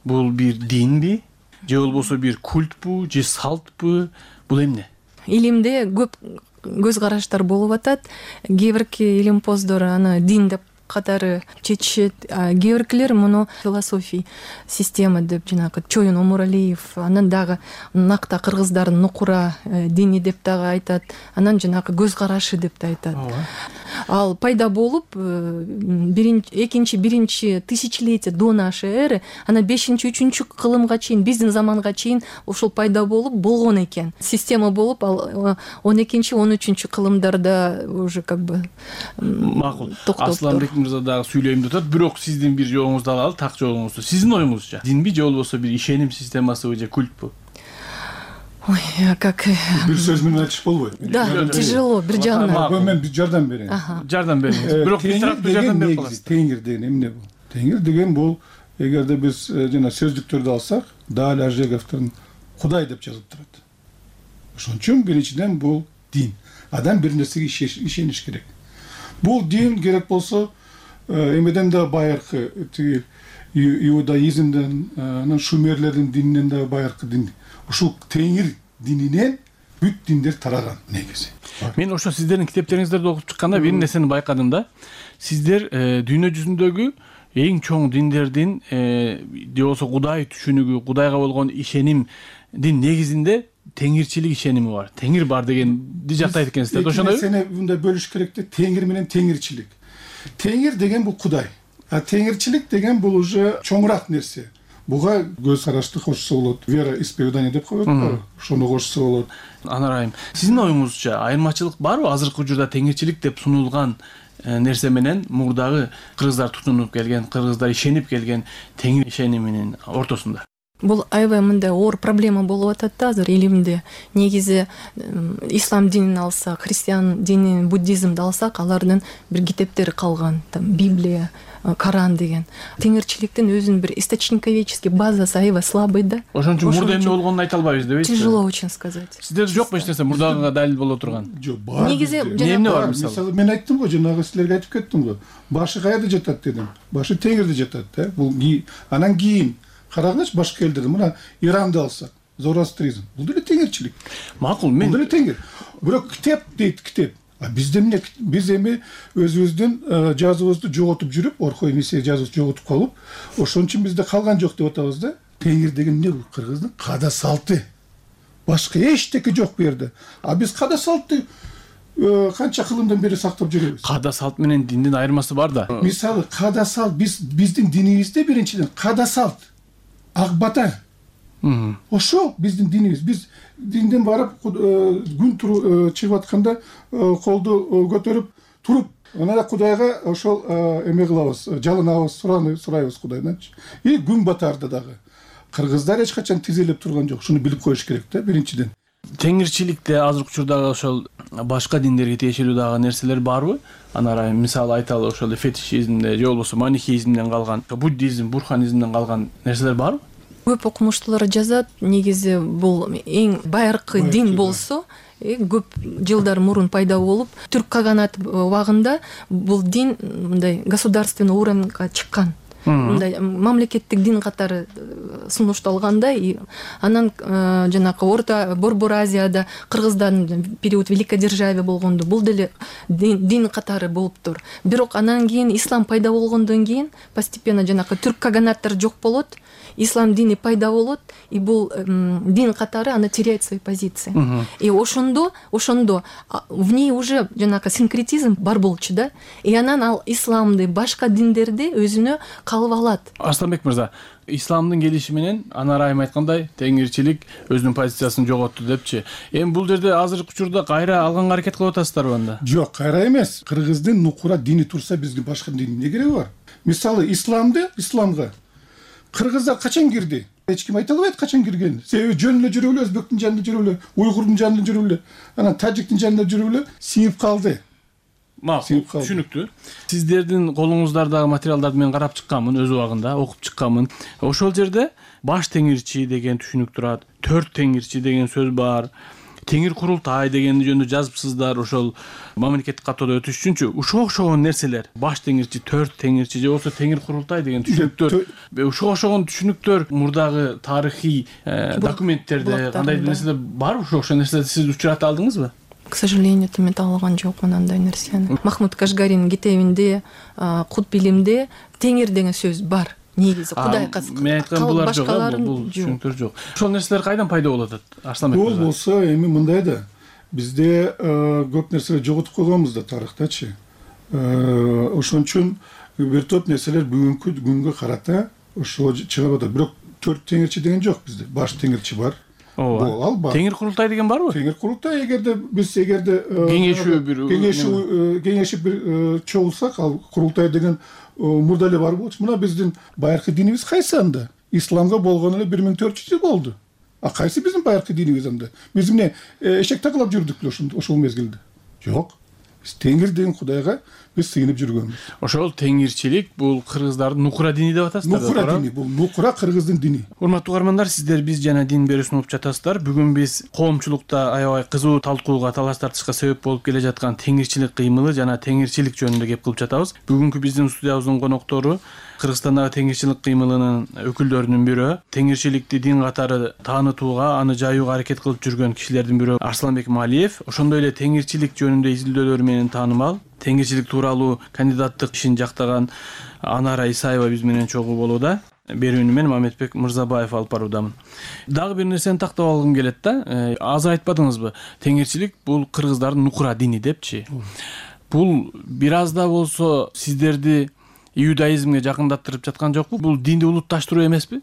Бул бир динби, же болбосо бир культпу, же салтпу? Бул эмне? Илимде көп көз караштар болуп атат. Кээ бирки илимпоздор аны дин деп катары чечишет, кээ биркилер муну философий система деп, жанагы Чоюн Омуралиев, анан дагы накта кыргыздардын нукура дини деп дагы айтат, анан жанагы көз карашы деп да айтат. Ал пайда болуп биринчи, экинчи, биринчи тысячелетие до нашей эры, анан бешинчи, үчүнчү кылымга чейин, биздин заманга чейин ошол пайда болуп болгон экен. Система болуп, ал он экинчи, он үчүнчү кылымдарда уже как бы макул. Асланбек Мырза дагы сүйлөйм деп атат, бирок сиздин бир жоогуңузду алалы, так жоогуңузду. Сиздин оюңузча, динби же болбосо бир ишеним системасыбы же культпу? Ой, как... Бир сөз менен айтыш болбойт. Да, тяжело, бир жагынан. Мен бир жардам берейин. Жардам бериңиз. Бирок бир жардам берип каласыз. Теңир деген эмне бул? Теңир деген бул, эгерде биз жана сөздүктөрдү алсак, Даль Ажеговдун Кудай деп жазылып турат. Ошон үчүн биринчиден бул дин. Адам бир нерсеге ишениш керек. Бул дин керек болсо, эмеден да байыркы, тиги иудаизмден, анан шумерлердин дининен да байыркы дин. Ушул теңир дининен бүт диндер тараган негизи. Мен ошо сиздердин китептериңиздерди окуп чыкканда бир нерсени байкадым да. Сиздер дүйнө жүзүндөгү эң чоң диндердин же болбосо Кудай түшүнүгү, Кудайга болгон ишенимдин негизинде теңирчилик ишеними бар, теңир бар дегенди жактайт экенсиз да, ошондойбу? Сени мындай бөлүш керек да, теңир менен теңирчилик. Теңир деген бул Кудай, а теңирчилик деген бул уже чоңураак нерсе. Буга көз карашты кошсо болот, вера исповедание деп коет го, ошону кошсо болот. Анар айым, сиздин оюңузча айырмачылык барбы азыркы учурда теңирчилик деп сунулган нерсе менен мурдагы кыргыздар тутунуп келген, кыргыздар ишенип келген теңир ишениминин ортосунда? Бул аябай мындай оор проблема болуп атат да азыр элимде. Негизи ислам динин алсак, христиан динин, буддизмди алсак, алардын бир китептери калган, там Библия, Коран деген. Теңирчиликтин өзүнүн бир источниковедческий базасы аябай слабый да. Ошон үчүн мурда эмне болгонун айта албайбыз дебейсизби? Тяжело очень сказать. Сиздерде жокпу эч нерсе мурдагыга далил боло турган? Жок, бар. Негизи эмне бар мисалы? Мисалы мен айттым го, жанагы силерге айтып кеттим го. Башы каерде жатат дедим. Башы теңирде жатат да. Бул анан кийин карагыч башка элдерде, мына Иранды алсак, зороастризм. Бул деле теңирчилик. Макул, мен бул деле теңир. Бирок китеп дейт, китеп. А бизде эмне, биз эми өзүбүздүн жазуубузду жоготуп жүрүп, Орхой Мессия жазуубузду жоготуп калып, ошон үчүн бизде калган жок деп атабыз да. Теңир деген эмне бул? Кыргыздын када салты. Башка эчтеке жок бу жерде. А биз када салтты канча кылымдан бери сактап жүрөбүз. Када салт менен диндин айырмасы бар да. Мисалы, када салт биз биздин динибизде биринчиден када салт, ак бата. Ошо биздин динибиз. Биз динден барып күн чыгып атканда колду көтөрүп туруп, анан Кудайга ошол эме кылабыз, жалынабыз, сурайбыз Кудайданчы. И күн батарда дагы. Кыргыздар эч качан тизелеп турган жок. Шуну билип коюш керек да, биринчиден. Теңирчиликте азыркы учурдагы ошол башка диндерге тиешелүү дагы нерселер барбы? Анар айым, мисалы айталы, ошол фетишизмде же болбосо манихеизмден калган, буддизм, бурханизмден калган нерселер барбы? Көп окумуштуулар жазат, негизи бул эң байыркы дин болсо, көп жылдар мурун пайда болуп, түрк каганат убагында бул дин мындай государственный уровеньга чыккан. Мындай мамлекеттик дин катары сунушталганда, анан жанакы Орто Борбор Азияда кыргыздардын период великодержавие болгондо бул деле дин катары болуптур. Бирок анан кийин ислам пайда болгондон кийин постепенно жанакы түрк каганаттар жок болот, ислам дини пайда болот, и бул дин катары аны теряет свои позиции. И ошондо, ошондо в ней уже жанакы синкретизм бар болчу да. И анан ал исламды башка диндерди өзүнө калып алат. Арсланбек мырза, исламдын келиши менен Анар айым айткандай теңирчилик өзүнүн позициясын жоготту депчи. Эми бул жерде азыркы учурда кайра алганга аракет кылып атасыздарбы анда? Жок, кайра эмес. Кыргыздын нукура дини турса бизге башка дин эмне кереги бар? Мисалы, исламды, исламга кыргыздар качан кирди? Эч ким айта албайт качан кирген. Себеби жөн эле жүрүп эле, өзбектин жанында жүрүп эле, уйгурдун жанында жүрүп эле, анан тажиктин жанында жүрүп эле сиңип калды. Макул, түшүнүктүү. Сиздердин колуңуздардагы материалдарды мен карап чыкканмын, өз убагында окуп чыкканмын. Ошол жерде баш теңирчи деген түшүнүк турат, төрт теңирчи деген сөз бар. Теңир курултай дегенди жөнүндө жазыпсыздар, ошол мамлекеттик каттоодо өтүш үчүнчү ушуга окшогон нерселер. Баш теңирчи, төрт теңирчи же болбосо теңир курултай деген түшүнүктөр, ушуга окшогон түшүнүктөр мурдагы тарыхый документтерде кандай нерселер барбы? Ошол окшогон нерселерди сиз учурата алдыңызбы? К сожалению, мен таалган жокмун андай нерсени. Махмуд Кашгаринин китебинде, Кут билимде теңир деген сөз бар. Негизи Кудай каск. Мен айткан булар жок, бул түшүнүктөр жок. Ошол нерселер кайдан пайда болот атат? Арсланбек мырза. Бул болсо эми мындай да. Бизде көп нерселер жоготуп койгонбуз да тарыхтачы. Ошон үчүн бир топ нерселер бүгүнкү күнгө карата ошо чыгып атат. Бирок төрт теңирчи деген жок бизде. Баш теңирчи бар. Ооба. Ал бар. Теңир курултай деген барбы? Теңир курултай, эгерде биз эгерде кеңешүү бир кеңешүү кеңешип бир чогулсак, ал курултай деген мурда эле бар болчу. Мына биздин байыркы динибиз кайсы анда? Исламга болгону эле бир миң төрт жүз жыл болду. А кайсы биздин байыркы динибиз анда? Биз эмне эшек такылап жүрдүк беле ошол мезгилде? Жок. Биз теңир деген Кудайга биз сыйынып жүргөнбүз. Ошол теңирчилик бул кыргыздардын нукура дини деп атасыздар. Нукура дини, бул нукура кыргыздын дини. Урматтуу угармандар, сиздер биз жана дин берүүсүн угуп жатасыздар. Бүгүн биз коомчулукта аябай кызуу талкууга, талаш тартышка себеп болуп келе жаткан теңирчилик кыймылы жана теңирчилик жөнүндө кеп кылып жатабыз. Бүгүнкү биздин студиябыздын коноктору Кыргызстандагы теңирчилик кыймылынын өкүлдөрүнүн бирөө, теңирчиликти дин катары таанытууга, аны жайууга аракет кылып жүргөн кишилердин бирөө Арсланбек Малиев. Ошондой эле теңирчилик жөнүндө изилдөөлөрү менен таанымал, теңирчилик тууралуу кандидаттык ишин жактаган Анара Исаева биз менен чогуу болууда. берүүнү мен Мамедбек Мырзабаев алып баруудамын. Дагы бир нерсени тактап алгым келет да. Аз айтпадыңызбы? Теңирчилик бул кыргыздардын нукура дини депчи. Бул бир аз да болсо сиздерди иудаизмге жакындаттырып жаткан жокпу? Бул динди улутташтыруу эмеспи?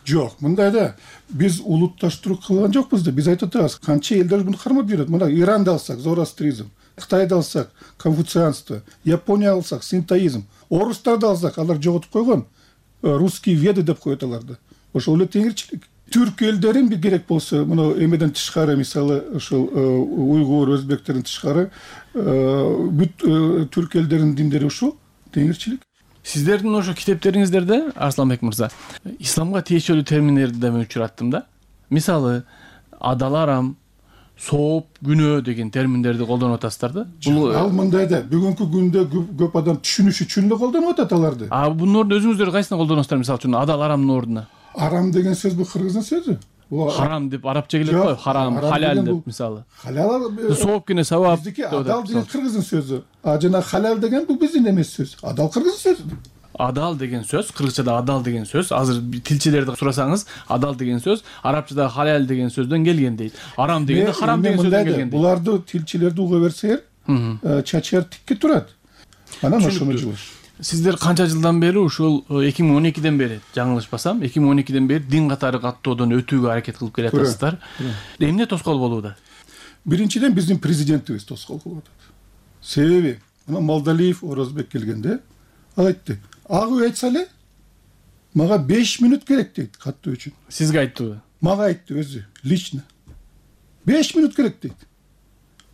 Жок, мындай да биз улутташтыруу кылган жокпуз да. Биз айтып атабыз, канча элдер муну кармап жүрөт. Мына Иранды алсак, зороастризм, Кытайды алсак, конфуцианство, Япония алсак, синтоизм, орустарды алсак, алар жоготуп койгон. Русские веды деп коет аларды. Ошол эле теңирчилик. Түрк элдерин бир керек болсо, мына эмеден тышкары, мисалы, ошол уйгур, өзбектердин тышкары, бүт түрк элдеринин диндери ушул теңирчилик. Сиздердин ошо китептериңиздерде, Арсланбек мырза, исламга тиешелүү терминдерди да мен учураттым да. Мисалы, адал арам, сооп, күнөө деген терминдерди колдонуп атасыздар да. Бул ал мындай да, бүгүнкү күндө көп адам түшүнүш үчүн эле колдонуп атат аларды. А бунун ордуна өзүңүздөр кайсыны колдоносуздар, мисалы үчүн адал арамдын ордуна? Арам деген сөз бул кыргыздын сөзү. Харам деп арабча келет го, харам, халал деп мисалы. Халал сооп кene савап. Биздики адал деген кыргыздын сөзү. А жана халал деген бул биздин эмес сөз. Адал кыргыздын сөзү. Адал деген сөз, кыргызчада адал деген сөз, азыр тилчилерди сурасаңыз, адал деген сөз арабчада халал деген сөздөн келген дейт. Арам дегенде харам деген сөздөн келген дейт. Буларды тилчилерди уга берсеңер, чачар тикке турат. Анан ошону жылыш. Сиздер канча жылдан бери ушул эки миң он экиден бери, жаңылышпасам, эки миң он экиден бери дин катары каттоодон өтүүгө аракет кылып келатасыздар. Эмне тоскоол болууда? Биринчиден биздин президентибиз тоскоол кылып атат. Себеби, мына Молдалиев Орозбек келгенде ал айтты: "Ак үй айтса эле, мага беш мүнөт керек" дейт каттоо үчүн. Сизге айттыбы? Мага айтты өзү, лично. беш мүнөт керек дейт.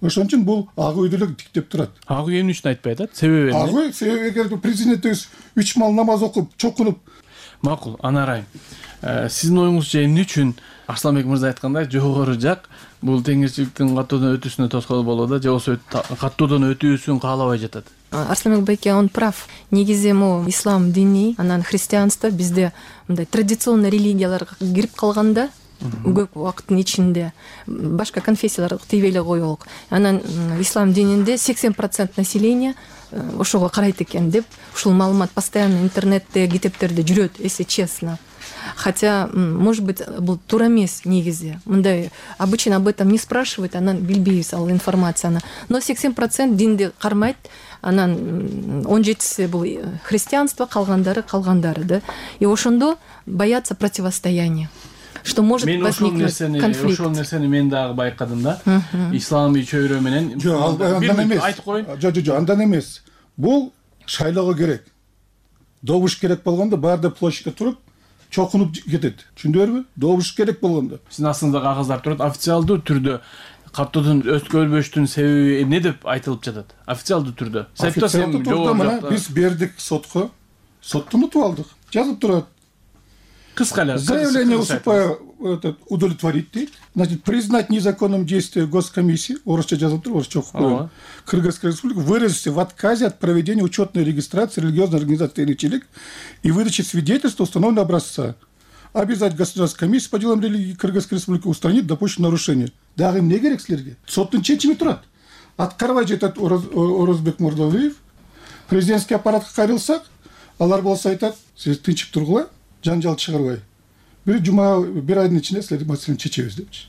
Ошон үчүн бул ак үйдү эле тиктеп турат. Ак үй эмне үчүн айтпай атат? Себеби эмне? Ак үй себеби эгер президентибиз үч мал намаз окуп, чокунуп. Макул, Анарайым. Сиздин оюңузча эмне үчүн Арсланбек мырза айткандай жогору жак бул теңирчиликтин каттоодон өтүүсүнө тоскоол болууда, же болбосо каттоодон өтүүсүн каалабай жатат? Арсланбек байке, он прав. Негизи могу ислам дини, анан христианство бизде мындай традиционный религияларга кирип калганда көп убакыттын ичинде башка конфессияларга тийбей эле коелук. Анан ислам дининде сексен процент населения ошого карайт экен деп ушул маалымат постоянно интернетте, китептерде жүрөт, если честно. Хотя, может быть, бул туура эмес негизи. Мындай обычно об этом не спрашивают, анан билбейбиз ал информацияны. Но сексен процент динди кармайт, анан он жетиси бул христианство, калгандары калгандары да. И ошондо боятся противостояния. Что может возникнуть конфликт. Ошол нерсени мен дагы байкадым да. Исламий чөйрө менен. Жок, андан эмес. Айтып коеюн. Жок, жок, андан эмес. Бул шайлоого керек. Добуш керек болгондо баарды площадька туруп, чокунуп кетет. Түшүндүңөрбү? Добуш керек болгондо. Сиздин астыңызда кагаздар турат, официалдуу түрдө каттоодон өткөрүлбөштүн себеби эмне деп айтылып жатат? Официалдуу түрдө. Сайтта сем жок. Биз бердик сотко. Соттон утуп алдык. Жазып турат. Кыска эле. Заявление уступаю удовлетворить дейт. Значит, признать незаконным действие госкомиссии, орусча жазып туруп, орусча окуп коюн. Кыргызская республика выразится в отказе от проведения учетной регистрации религиозной организации «Теңирчилик» и выдачи свидетельства установленного образца. Обязать государственную комиссию по делам религии Кыргызской республики устранить допущенное нарушение. Дагы эмне керек силерге? Соттун чечими турат. Аткарбай жатат Орозбек Мурдалиев. Президентский аппаратка кайрылсак, алар болсо айтат: "Сиз тынчып тургула, жанжал чыгарбай. Бир жума, бир айдын ичинде силер маселени чечебиз" депчи.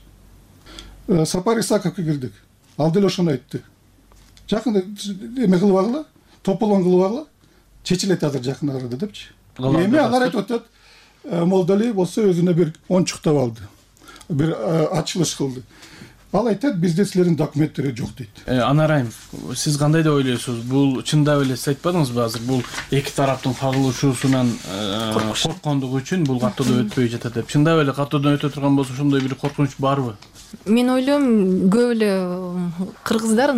Сапар Исаковго кирдик. Ал деле ошону айтты. Жакында эме кылып агыла, тополон кылып агыла, чечилет азыр жакын арада депчи. Эми алар айтып атат, Молдалиев болсо өзүнө бир ончуктап алды. Бир ачылыш кылды. Ал айтат, бизде силердин документтери жок дейт. Анарайым, сиз кандай деп ойлойсуз? Бул чындап эле сиз айтпадыңызбы азыр бул эки тараптын кагылышуусунан корккондугу үчүн бул каттоодон өтпөй жатат деп. Чындап эле каттоодон өтө турган болсо ошондой бир коркунуч барбы? Мен ойлойм, көп эле кыргыздар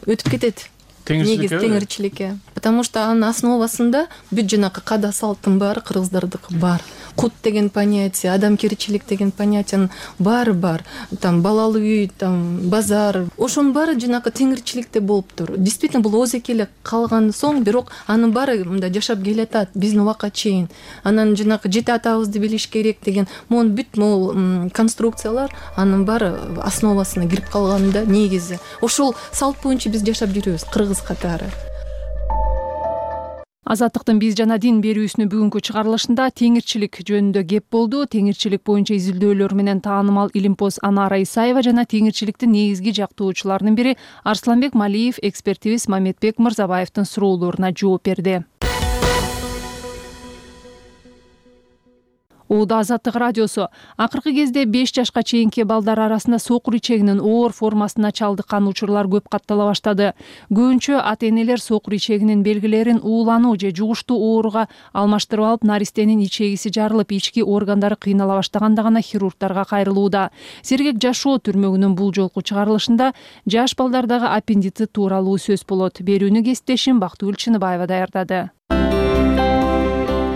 өтүп кетет. Теңирчиликке. Потому что анын основасында бүт жанакы када салттын баары кыргыздардыкы бар. Кут деген понятие, адамгерчилик деген понятиянын баары бар. Там балалуу үй, там базар. Ошонун баары жанакы теңирчиликте болуптур. Действительно бул озеки эле калган соң, бирок анын баары мындай жашап келатат биздин убакка чейин. Анан жанакы жети атабызды билиш керек деген могу бүт могу конструкциялар анын баары основасына кирип калганда негизи. Ошол салт боюнча биз жашап жүрөбүз кыргыз катары. Азаттыктын биз жана дин берүүсүнүн бүгүнкү чыгарылышында теңирчилик жөнүндө кеп болду. Теңирчилик боюнча изилдөөлөр менен таанымал илимпоз Анара Исаева жана теңирчиликтин негизги жактоочуларынын бири Арсланбек Малиев экспертибиз Мамедбек Мырзабаевдин суроолоруна жооп берди. Ууда Азаттык радиосу. Акыркы кезде беш жашка чейинки балдар арасында сокур ичегинин оор формасына чалдыккан учурлар көп каттала баштады. Көбүнчө ата-энелер сокур ичегинин белгилерин уулануу же жугуштуу ооруга алмаштырып алып, наристенин ичегиси жарылып, ички органдары кыйнала баштаганда гана хирургдарга кайрылууда. Сергек жашоо түрмөгүнүн бул жолку чыгарылышында жаш балдардагы аппендицит тууралуу сөз болот. Берүүнү кесиптешим Бактыгүл Чыныбаева даярдады.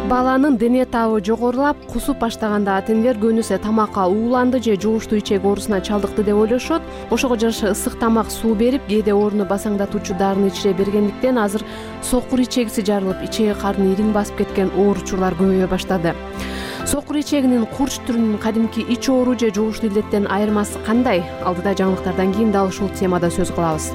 Баланын дене табы жогорулап, кусуп баштаганда ата-энелер көбүнесе тамакка ууланды же жугуштуу ичек оорусуна чалдыкты деп ойлошот. Ошого жараша ысык тамак, суу берип, кээде ооруну басаңдатуучу дарыны ичире бергендиктен азыр сокур ичегиси жарылып, ичеги карын ириң басып кеткен оор учурлар көбөйө баштады. Сокур ичегинин курч түрүнүн кадимки ич оору же жугуштуу илдеттен айырмасы кандай? Алдыда жаңылыктардан кийин дал ушул темада сөз кылабыз.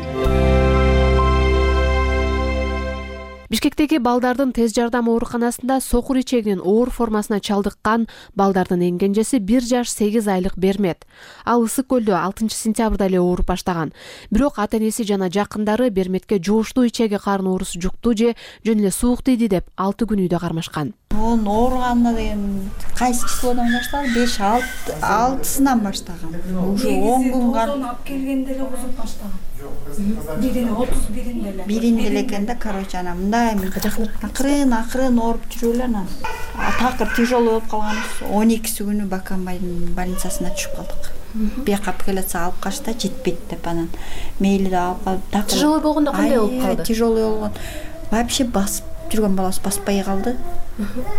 Бишкектеги балдардын тез жардам ооруканасында сокур ичегинин оор формасына чалдыккан балдардын эң кенжеси бир жаш сегиз айлык Бермет. Ал Ысык көлдө алтынчы сентябрда эле ооруп баштаган. Бирок ата-энеси жана жакындары Берметке жугуштуу ичеги карын оорусу жукту же жөн эле суук тийди деп алты күн үйдө кармашкан. Onun oğurganına deyin kaysi çiskodan başladı? beş altısından başlagan. Уже on gün kal. Alып kelgende ele kuzup başlagan. Birini otuz birinde ele. Birinde elekende короче ана мындай акырын акырын ооруп жүрүлөр анан. Такыр тяжелый болуп калганбыз. он экиси күнү Баканбайдын больницасына түшүп калдык. Бияка апелляция алып качта жетпейт деп анан мейли да алып такыр. Тяжелый болгондо кандай болуп калды? Тяжелый болгон. Вообще басып жүргөн баласы баспай калды.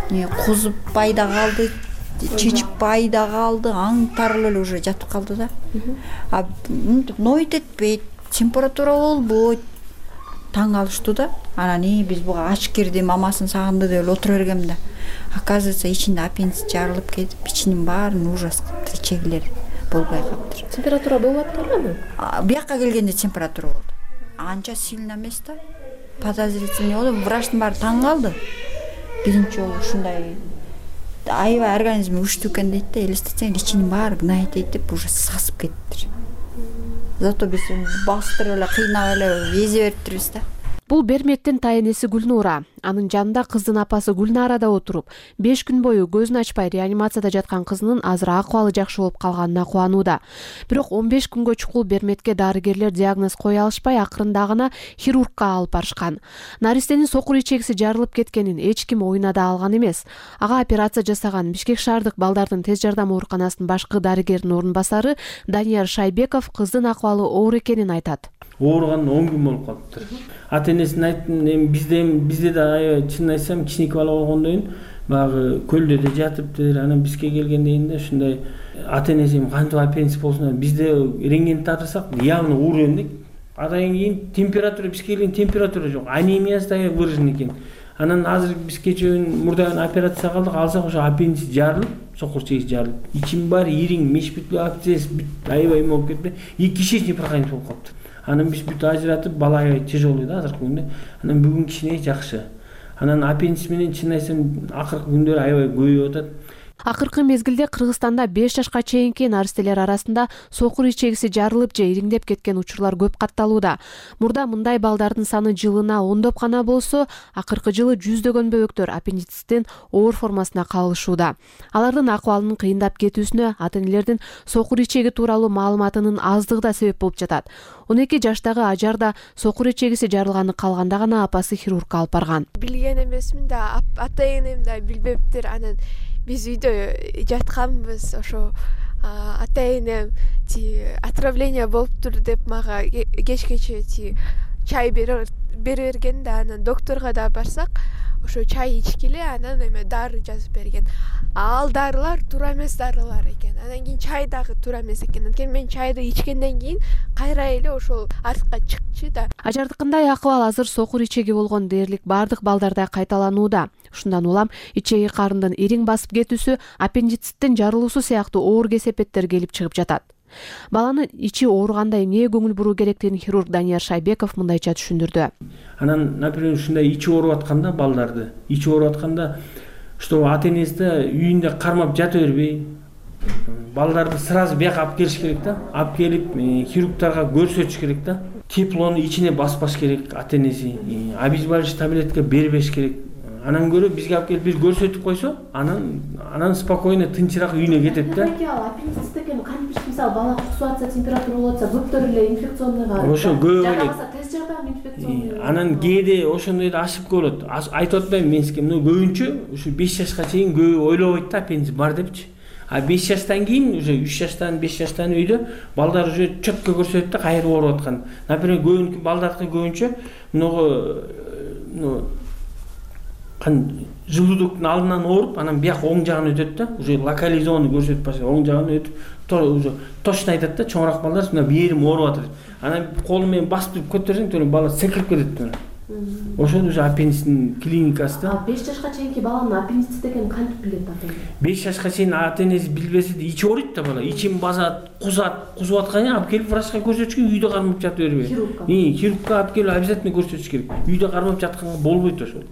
Не кузуппай да калды, чечиппай да калды, аңтарыл эле уже жатып калды да. А нойт этпейт, температура болбойт. Таң калыштуу да. Анан и биз буга ач кирди, мамасын сагынды деп отура бергем да. Оказывается, ичинде аппендицит жарылып кетип, ичинин баарын ужас кылыптыр, ичегилер болбой калыптыр. Температура болуп аттырбы? Бияка келгенде температура болду. Анча сильно эмес да. Подозрительный болду. Врачтын баары таң калды. Биринчи жолу ушундай аябай организми күчтүү экен дейт да, элестетсең ичинин баары гнайт деп уже сасып кетиптир. Зато биз бастырып эле кыйнап эле эзе бериптирбиз да. Бул Берметтин тайенеси Гүлнура. Анын жанында кыздын апасы Гүлнара да отуруп, беш күн бою көзүн ачпай реанимацияда жаткан кызынын азыр акыбалы жакшы болуп калганына кубанууда. Бирок он беш күнгө чукул Берметке дарыгерлер диагноз кое алышпай, акырында гана хирургка алып барышкан. Наристенин сокур ичегиси жарылып кеткенин эч ким оюна да алган эмес. Ага операция жасаган Бишкек шаардык балдардын тез жардам ооруканасынын башкы дарыгеринин орун басары Данияр Шайбеков кыздын акыбалы оор экенин айтат. Ооруганына он күн болуп калыптыр. Ата-энесине айттым, эми бизде бизде да аябай чынын айтсам кичинекей бала болгондон кийин баягы көлдө да жатыптыр. Анан бизге келгенден кийин да ушундай ата-энеси кантип аппендицит болсун, бизде рентген тартырсак явно уурен дейт. Адан кийин температура бизге келген температура жок, анемиясы да выражен экен. Анан азыр биз кечээ мурдагы операция кылдык, алсак ошо аппендицит жарылып, сокур ичеги жарылып, ичим баары ириң, меш бүт акциясы бүт аябай эме болуп кетти. И кишечный проходимость болуп калыптыр. Анан биз бүт ажыратып, бала аябай тяжелый да азыркы күндө. Анан бүгүн кичине жакшы. Анан аппендицит менен чын айтсам акыркы күндөрү аябай көбөйүп атат. Акыркы мезгилде Кыргызстанда беш жашка чейинки наристелер арасында сокур ичегиси жарылып же ириңдеп кеткен учурлар көп катталууда. Мурда мындай балдардын саны жылына ондоп гана болсо, акыркы жылы жүздөгөн бөбөктөр аппендициттин оор формасына калышууда. Алардын акыбалынын кыйындап кетүүсүнө ата-энелердин сокур ичеги тууралуу маалыматынын аздыгы да себеп болуп жатат. он эки жаштагы Ажар да сокур ичегиси жарылганы калганда гана апасы хирургка алып барган. Билген эмесмин да, ата-энем да билбептир. Анан биз үйдө жатканбыз, ошо ата-энем ти отравление болуптур деп мага кечкече ти чай бере берген да, анан докторго да барсак, ошо чай ичкиле, анан эме дары жазып берген. Ал дарылар туура эмес дарылар экен. Анан кийин чай дагы туура эмес экен. Анткени мен чайды ичкенден кийин кайра эле ошол артка чыкчу да. Ажардыкындай акыбал азыр сокур ичеги болгон дээрлик бардык балдарда кайталанууда. Ушундан улам ичеги карындын ириң басып кетүүсү, аппендициттин жарылуусу сыяктуу оор кесепеттер келип чыгып жатат. баланын ичи ооруганда эмнеге көңүл буруу керектигин хирург Данияр Шайбеков мындайча түшүндүрдү. Анан, например, ушундай ичи ооруп атканда балдарды, ичи ооруп атканда, что ата энеси да үйүндө кармап жата бербей, балдарды сразу бияка алып келиш керек да, алып келип хирургтарга көрсөтүш керек да. Теплону ичине баспаш керек ата энеси, обезболивающий таблетка бербеш керек. Анан көрө бизге алып келип бир көрсөтүп койсо, анан анан спокойно тынчыраак үйүнө кетет да. Аппендицит экен кантип мисалы бала кусуп атса, температура болуп атса, көптөр эле инфекционныйга. Ошо көп эле. Тест жардам инфекционный. Анан кээде ошондой да ашып болот. Айтып атпайм мен сизге, мына көбүнчө ушу беш жашка чейин көбү ойлобойт да аппендицит бар депчи. А беш жаштан кийин уже үч жаштан беш жаштан үйдө балдар уже четко көрсөтөт да кайра ооруп аткан. Например, көбүнчө балдардыкы көбүнчө мына кан желудоктун алдынан ооруп, анан бияк оң жагына өтөт да, уже локализованный көрсөтүп баштайт, оң жагына өтүп, уже точно айтат да, чоңураак балдар мына бээрим ооруп атат. Анан колу менен басып көтөрсөң, төрөм бала секирип кетет. Ошол уже аппендицитин клиникасы да. беш жашка чейинки баланын аппендицит экенин кантип билет ата эне? беш жашка чейин ата энеси билбесе да ичи ооруйт да бала, ичин басат, кузат, кузуп атканда алып келип врачка көрсөтүш керек, үйдө кармап жата бербей. Хирургка алып келип обязательно көрсөтүш керек. Үйдө кармап жатканга болбойт ошол.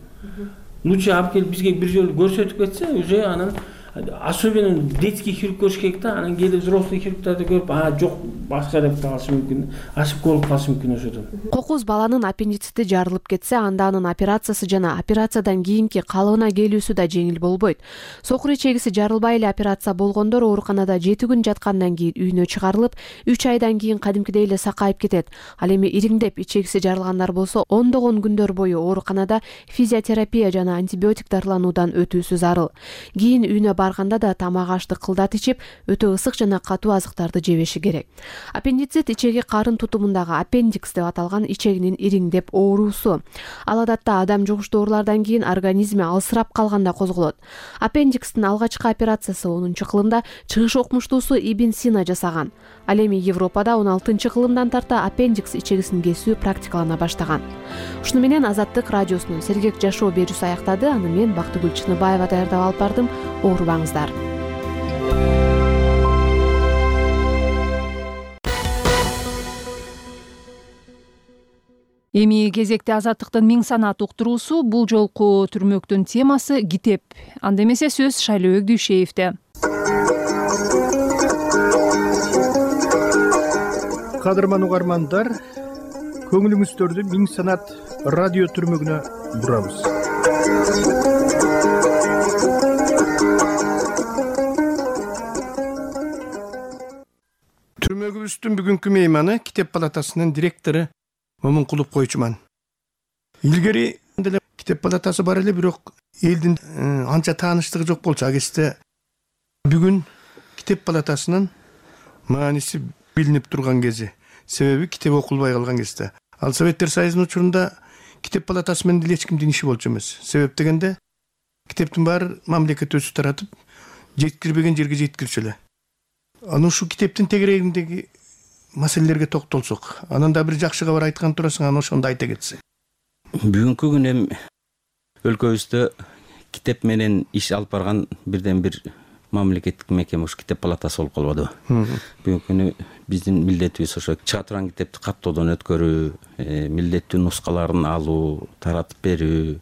Лучше алып келип бизге бир жолу көрсөтүп кетсе, уже анан особенно детский хирург көрүш керек да, анан кээде взрослый хирургтарды көрүп, а жок, башка деп калышы мүмкүн, ашып болуп калышы мүмкүн ошодон. Кокуз баланын аппендицити жарылып кетсе, анда анын операциясы жана операциядан кийинки калыбына келүүсү да жеңил болбойт. Сокур ичегиси жарылбай эле операция болгондор ооруканада жети күн жаткандан кийин үйүнө чыгарылып, үч айдан кийин кадимкидей эле сакайып кетет. Ал эми ириңдеп ичегиси жарылгандар болсо, ондогон күндөр бою ооруканада физиотерапия жана антибиотик дарылануудан өтүүсү зарыл. Кийин үйүнө барганда да тамак ашты кылдат ичип, өтө ысык жана катуу азыктарды жебеши керек. Аппендицит ичеги карын тутумундагы аппендикс деп аталган ичегинин ириңдеп ооруусу. Ал адатта адам жугуштуу оорулардан кийин организми алсырап калганда козголот. Аппендикстин алгачкы операциясы онунчу кылымда чыгыш окумуштуусу Ибн Сина жасаган. Ал эми Европада он алтынчы кылымдан тарта аппендикс ичегисин кесүү практикалана баштаган. Ушуну менен Азаттык радиосунун сергек жашоо берүүсү аяктады. Аны мен Бактыгүл Чыныбаева даярдап алып бардым. Оорубаңыздар. Эми кезекте Азаттыктын миң санат уктуруусу. Бул жолку түрмөктүн темасы китеп. Анда эмесе сөз Шайлообек Дүйшеевде. Кадырман угармандар, көңүлүңүздөрдү миң санат радио түрмөгүнө бурабыз. Түрмөгүбүздүн бүгүнкү мейманы Китеп палатасынын директору Момункулов Койчуман. Илгери деле Китеп палатасы бар эле, бирок элдин анча тааныштыгы жок болчу. А кезде бүгүн Китеп палатасынын мааниси билинип турган кези. Себеби китеп окулбай калган кезде. Ал Советтер Союзунун учурунда Китеп палатасы менен деле эч кимдин иши болчу эмес. Себеп дегенде китептин баары мамлекет өзү таратып, жеткирбеген жерге жеткирчү эле. Анан ушу китептин тегерегиндеги маселелерге токтолсок, анан да бир жакшы кабар айткан турасың, анан ошондо айта кетсең. Бүгүнкү күнү эми өлкөбүздө китеп менен иш алып барган бирден бир мамлекеттик мекеме ушу Китеп палатасы болуп калбадыбы. Бүгүнкү күнү биздин милдетибиз ошо чыга турган китепти каптоодон өткөрүү, милдеттүү нускаларын алуу, таратып берүү,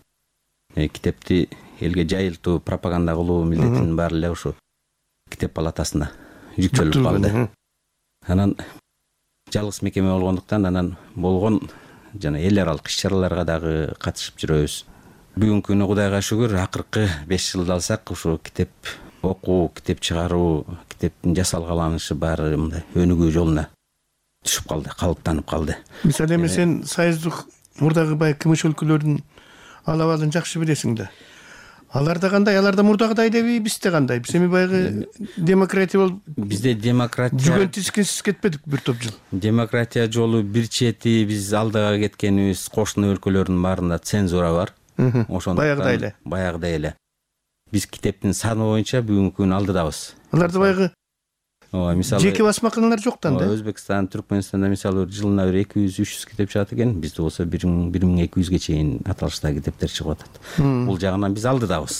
китепти элге жайылтуу, пропаганда кылуу милдетинин баары эле ушу Китеп палатасына жүктөлүп калды. Анан жалгыз мекеме болгондуктан анан болгон жана эл аралык иш-чараларга дагы катышып жүрөбүз. Бүгүнкү күнү Кудайга шүгүр, акыркы беш жылды алсак, ушу китеп окуу, китеп чыгаруу, китептин жасалгаланышы баары мындай өнүгүү жолуна түшүп калды, калыптанып калды. Мисалы эми сен союздук мурдагы бай кымыш өлкөлөрдүн алабалын жакшы билесиң да. Аларда кандай, аларда мурдагыдай элеби, бизде кандай? Биз эми байгы демократия болуп, бизде демократия жүгөн тискенсиз кетпедик бир топ жыл. Демократия жолу бир чети, биз алдыга кеткенибиз, кошуна өлкөлөрдүн баарында цензура бар. Ошондо баягыдай эле. Баягыдай эле. Биз китептин саны боюнча бүгүнкү күнү алдыдабыз. Аларда байгы Ооба, мисалы жеке басмаканалар жоктан да. Өзбекстан, Түркмөнстанда мисалы жылына бир эки жүз үч жүз китеп чыгат экен, бизде болсо бир миң эки жүзгө чейин аталыштагы китептер чыгып атат. Бул жагынан биз алдыдабыз.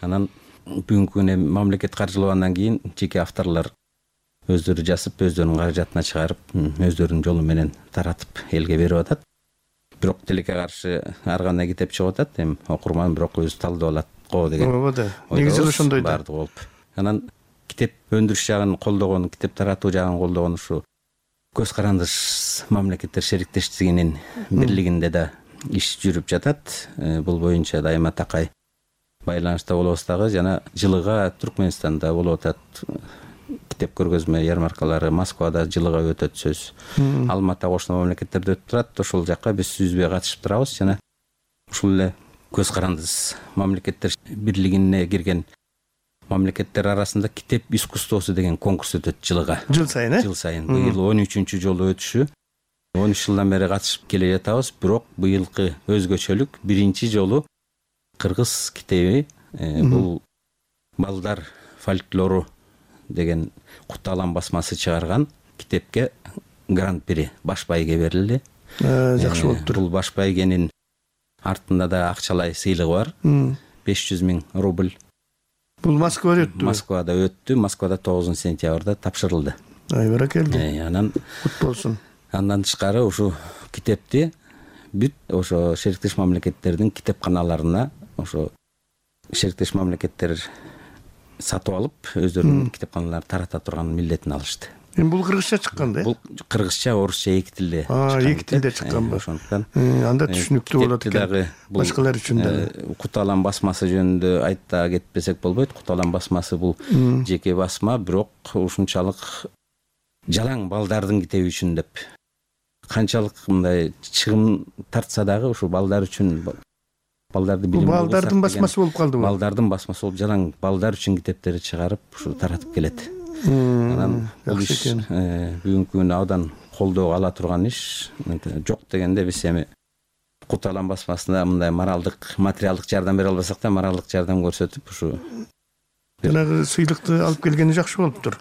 Анан бүгүнкү күнү мамлекет каржылагандан кийин жеке авторлор өздөрү жазып, өздөрүнүн каражатына чыгарып, өздөрүнүн жолу менен таратып элге берип атат. Бирок тилекке каршы ар кандай китеп чыгып атат. Эми окурман бирок өзү талдап алат го деген. Ооба да. Негизи эле ошондой да. Бардыгы болуп. Анан китеп өндүрүш жагын колдогон, китеп таратуу жагын колдогон ушу көз карандыш мамлекеттер шериктештигинин бирлигинде да иш жүрүп жатат. Бул боюнча дайыма такай байланышта болобуз дагы. Жана жылыга Түркмөнстанда болуп атат китеп көргөзмө ярмаркалары. Москвада жылыга өтөт сөз. Алматы кошуна мамлекеттерде өтүп турат. Ошол жака биз үзбөй катышып турабыз. Жана ушул эле көз карандыш мамлекеттер бирлигине кирген мамлекеттер арасында китеп искусствосу деген конкурс өтөт жылыга. Жыл сайын, э? Жыл сайын. Быйыл он үчүнчү жолу өтүшү. он үч жылдан бери катышып келе жатабыз. Бирок быйылкы өзгөчөлүк биринчи жолу кыргыз китеби. Бул балдар фольклору деген Куталан басмасы чыгарган китепке гран-при баш байге берилди. Жакшы болуптур. Бул баш байгенин артында да акчалай сыйлыгы бар. беш жүз миң рубль. Бул Москвада өттү. Москвада өттү. Москвада тогузунчу сентябрда тапшырылды. Ай баракелди. Анан кут болсун. Андан тышкары ушу китепти бүт ошо шериктеш мамлекеттердин китепканаларына ошо шериктеш мамлекеттер сатып алып, өздөрүнүн китепканаларын тарата турган милдетин алышты. Эми бул кыргызча чыккан да? Бул кыргызча, орусча эки тилде. А, эки тилде чыкканбы? Ошондуктан анда түшүнүктүү болот экен. Башкалар үчүн да. Куталан басмасы жөнүндө айта кетпесек болбойт. Куталан басмасы бул жеке басма, бирок ушунчалык жалаң балдардын китеби үчүн деп канчалык мындай чыгым тартса дагы ушу балдар үчүн балдарды билим алып балдардын басмасы болуп калдыбы? Балдардын басмасы болуп жалаң балдар үчүн китептерди чыгарып ушу таратып келет. Анан бул иш бүгүнкү күнү абдан колдоо ала турган иш. Жок дегенде биз эми Куталан басмасына мындай моралдык, материалдык жардам бере албасак да, моралдык жардам көрсөтүп ушу жанагы сыйлыкты алып келгени жакшы болуптур.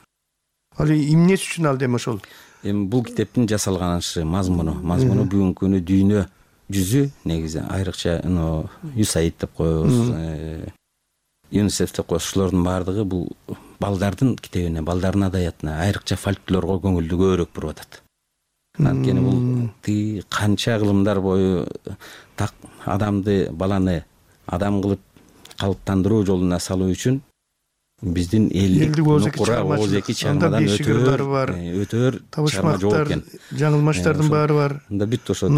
Ал эмнеси үчүн алды эми ошол? Эми бул китептин жасалганышы мазмуну, мазмуну бүгүнкү күнү дүйнө жүзү негизи айрыкча ЮСАИД деп коебуз, ЮНИСЕФ деп коебуз. Ушулордун баардыгы бул балдардын китебине, балдардын адаятына, айрыкча фольклорго көңүлдү көбүрөөк буруп атат. Анткени бул тиги канча кылымдар бою так адамды, баланы адам кылып калыптандыруу жолуна салуу үчүн биздин элдик нукура ооз эки чыгармадан өтөр өтөр чыгарма жок экен. Жаңылмаштардын баары бар. Мында бүт ошо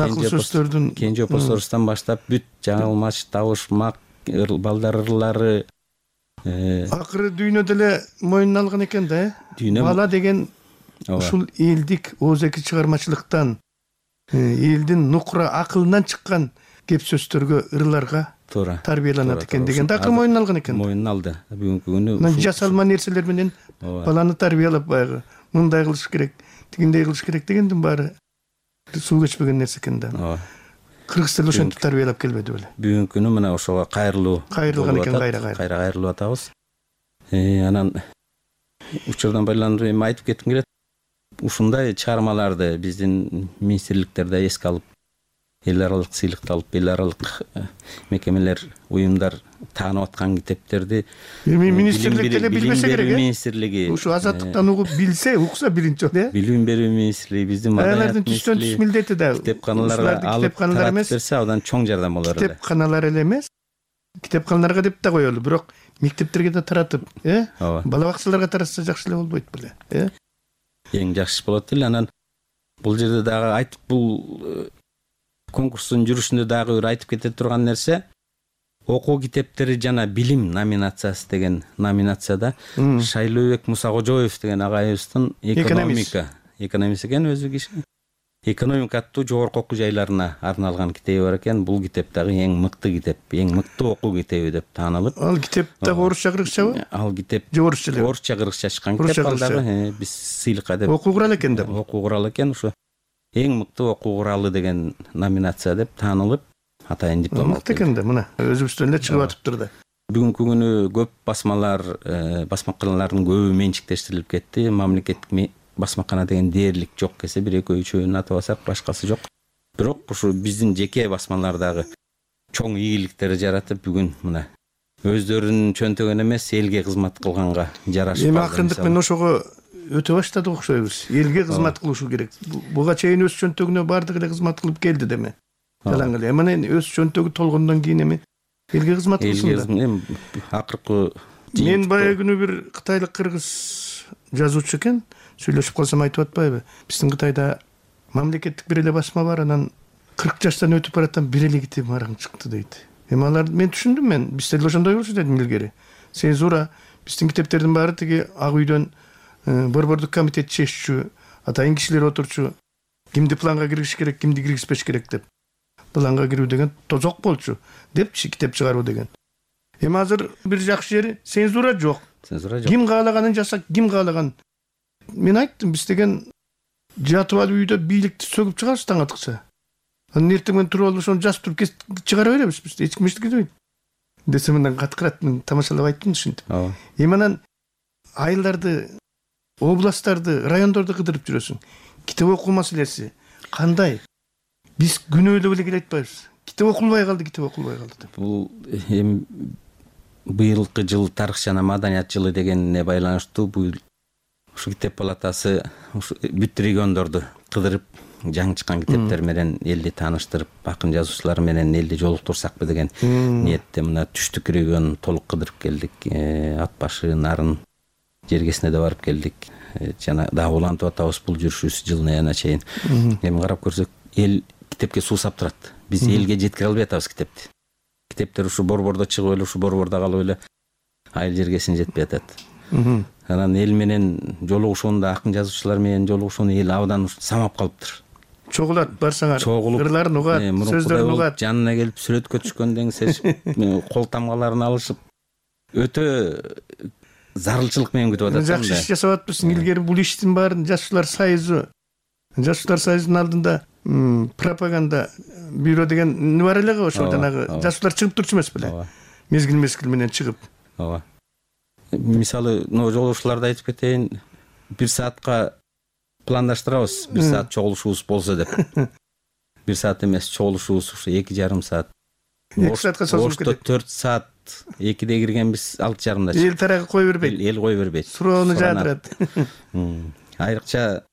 Кенже Посорустан баштап бүт жаңылмаш, табышмак, балдар ырлары. Акыры дүйнөдө эле моюнуна алган экен да, э? Бала деген ушул элдик ооз эки чыгармачылыктан, элдин нукура акылынан чыккан кеп сөздөргө, ырларга тарбияланат экен деген да акыры моюнуна алган экен. Моюнуна алды. Бүгүнкү күнү мына жасалма нерселер менен баланы тарбиялап байгы мындай кылыш керек, тигиндей кылыш керек дегендин баары суу кечпеген нерсе экен да. Кыргыз тили ошентип тарбиялап келбеди беле. Бүгүнкү күнү мына ошого кайрылуу кайрылган экен, кайра кайра. Кайра кайрылып атабыз. Анан учурдан байланып эми айтып кетким келет. Ушундай чыгармаларды биздин министрликтерде эске алып, эл аралык сыйлыкты алып, эл аралык мекемелер, уюмдар таанып аткан китептерди эми министрлик деле билбесе керек, э? Министрлиги ушу азаттыктан угуп билсе, укса биринчи жолу, э? Билим берүү министрлиги, биздин маданият түштөн түш милдети да. Китепканаларга алып таратып берсе, абдан чоң жардам болор эле. Китепканалар эле эмес, китепканаларга деп да коелу, бирок мектептерге да таратып, э? Бала бакчаларга таратса жакшы эле болбойт беле, э? Эң жакшы болот эле. Анан бул жерде дагы айтып, бул конкурстун жүрүшүндө дагы бир айтып кете турган нерсе, окуу китептери жана билим номинациясы деген номинацияда Шайлообек Мусакожоев деген агайыбыздын экономика, экономист экен өзү киши. Экономика аттуу жогорку окуу жайларына арналган китеби бар экен. Бул китеп дагы эң мыкты китеп, эң мыкты окуу китеби деп таанылып. Ал китеп дагы орусча, кыргызчабы? Ал китеп орусча эле. Орусча, кыргызча чыккан китеп. Ал дагы биз сыйлыкка деп. Окуу куралы экен деп. Окуу куралы экен, ушу эң мыкты окуу куралы деген номинация деп таанылып, атайын диплом алып. Мыкты экен да, мына өзүбүздөн эле чыгып атыптыр да. Бүгүнкү күнү көп басмалар, басмаканалардын көбү менчиктештирилип кетти. Мамлекеттик басмакана деген дээрлик жок кесе, бир экөө үчөөнү атап алсак, башкасы жок. Бирок ушу биздин жеке басмалар дагы чоң ийгиликтер жаратып, бүгүн мына өздөрүнүн чөнтөгүн эмес, элге кызмат кылганга жарашып. Эми акырындык менен ошого өтө баштадык окшойбуз. Элге кызмат кылышу керек. Буга чейин өз чөнтөгүнө бардык эле кызмат кылып келди деме. Жалаң эле. Эмне өз чөнтөгү толгондон кийин эми элге кызмат кылсын да. Акыркы мен баягы күнү бир кытайлык кыргыз жазуучу экен, сүйлөшүп калсам айтып атпайбы? Биздин Кытайда мамлекеттик бир эле басма бар, анан кырк жаштан өтүп баратам бир эле китеп мараң чыкты дейт. Эми алар мен түшүндүм, мен бизде деле ошондой болчу дедим илгери. Цензура биздин китептердин баары тиги ак үйдөн борбордук комитет чеччү, атайын кишилер отурчу, кимди планга киргизиш керек, кимди киргизбеш керек деп. Планга кирүү деген тозок болчу деп китеп чыгаруу деген. Эми азыр бир жакшы жери цензура жок. Цензура жок. Ким каалаганын жасап, ким каалаган. Мен айттым, биз деген жатып алып үйдө бийликти сөгүп чыгарбыз таң атыкча. Анан эртең менен туруп алып ошону жазып туруп чыгара беребиз биз. Эч ким эчтеке дебейт. Десем мындан каткырат, мен тамашалап айттым ушинтип. Эми анан айылдарды, областтарды, райондорду кыдырып жүрөсүң. Китеп окуу маселеси кандай? Биз күнөө эле эле айтпайбыз. Китеп окулбай калды, китеп окулбай калды деп. Бул эми быйылкы жыл тарых жана маданият жылы дегенне байланыштуу бул ушу китеп палатасы ушу бүт региондорду кыдырып, жаңы чыккан китептер менен элди тааныштырып, акын жазуучулар менен элди жолуктурсакпы деген ниетте мына түштүк регион толук кыдырып келдик. Ат башы, Нарын жергесине да барып келдик. Жана дагы улантып атабыз бул жүрүшүбүз жылдын аягына чейин. Эми карап көрсөк, эл китепке суусап турат. Биз элге жеткире албай атабыз китепти. Китептер ушу борбордо чыгып эле, ушу борбордо калып эле айыл жергесине жетпей атат. Анан эл менен жолугушууну, акын жазуучулар менен жолугушууну эл абдан самап калыптыр. Чогулат барсаңар, ырларын угат, сөздөрүн угат. Жанына келип сүрөткө түшкөндөн кийин кол тамгаларын алышып, өтө зарылчылык менен күтүп атат. Жакшы иш жасап атпысың. Илгери бул иштин баарын Жашуулар союзу, Жашуулар союзунун алдында пропаганда бюро деген не бар эле го, ошол жанагы жашуулар чыгып турчу эмес беле? Мезгил мезгил менен чыгып. Ооба. Мисалы, но жолугушууларды айтып кетейин, бир саатка пландаштырабыз, бир саат чогулушубуз болсо деп. Бир саат эмес, чогулушубуз ушу эки жарым саат. эки саатка созулуп кетет. төрт саат, экиде киргенбиз, алты жарымда чыктык. Эл тарагы кой бербейт. Эл кой бербейт. Суроону жаадырат. Айрыкча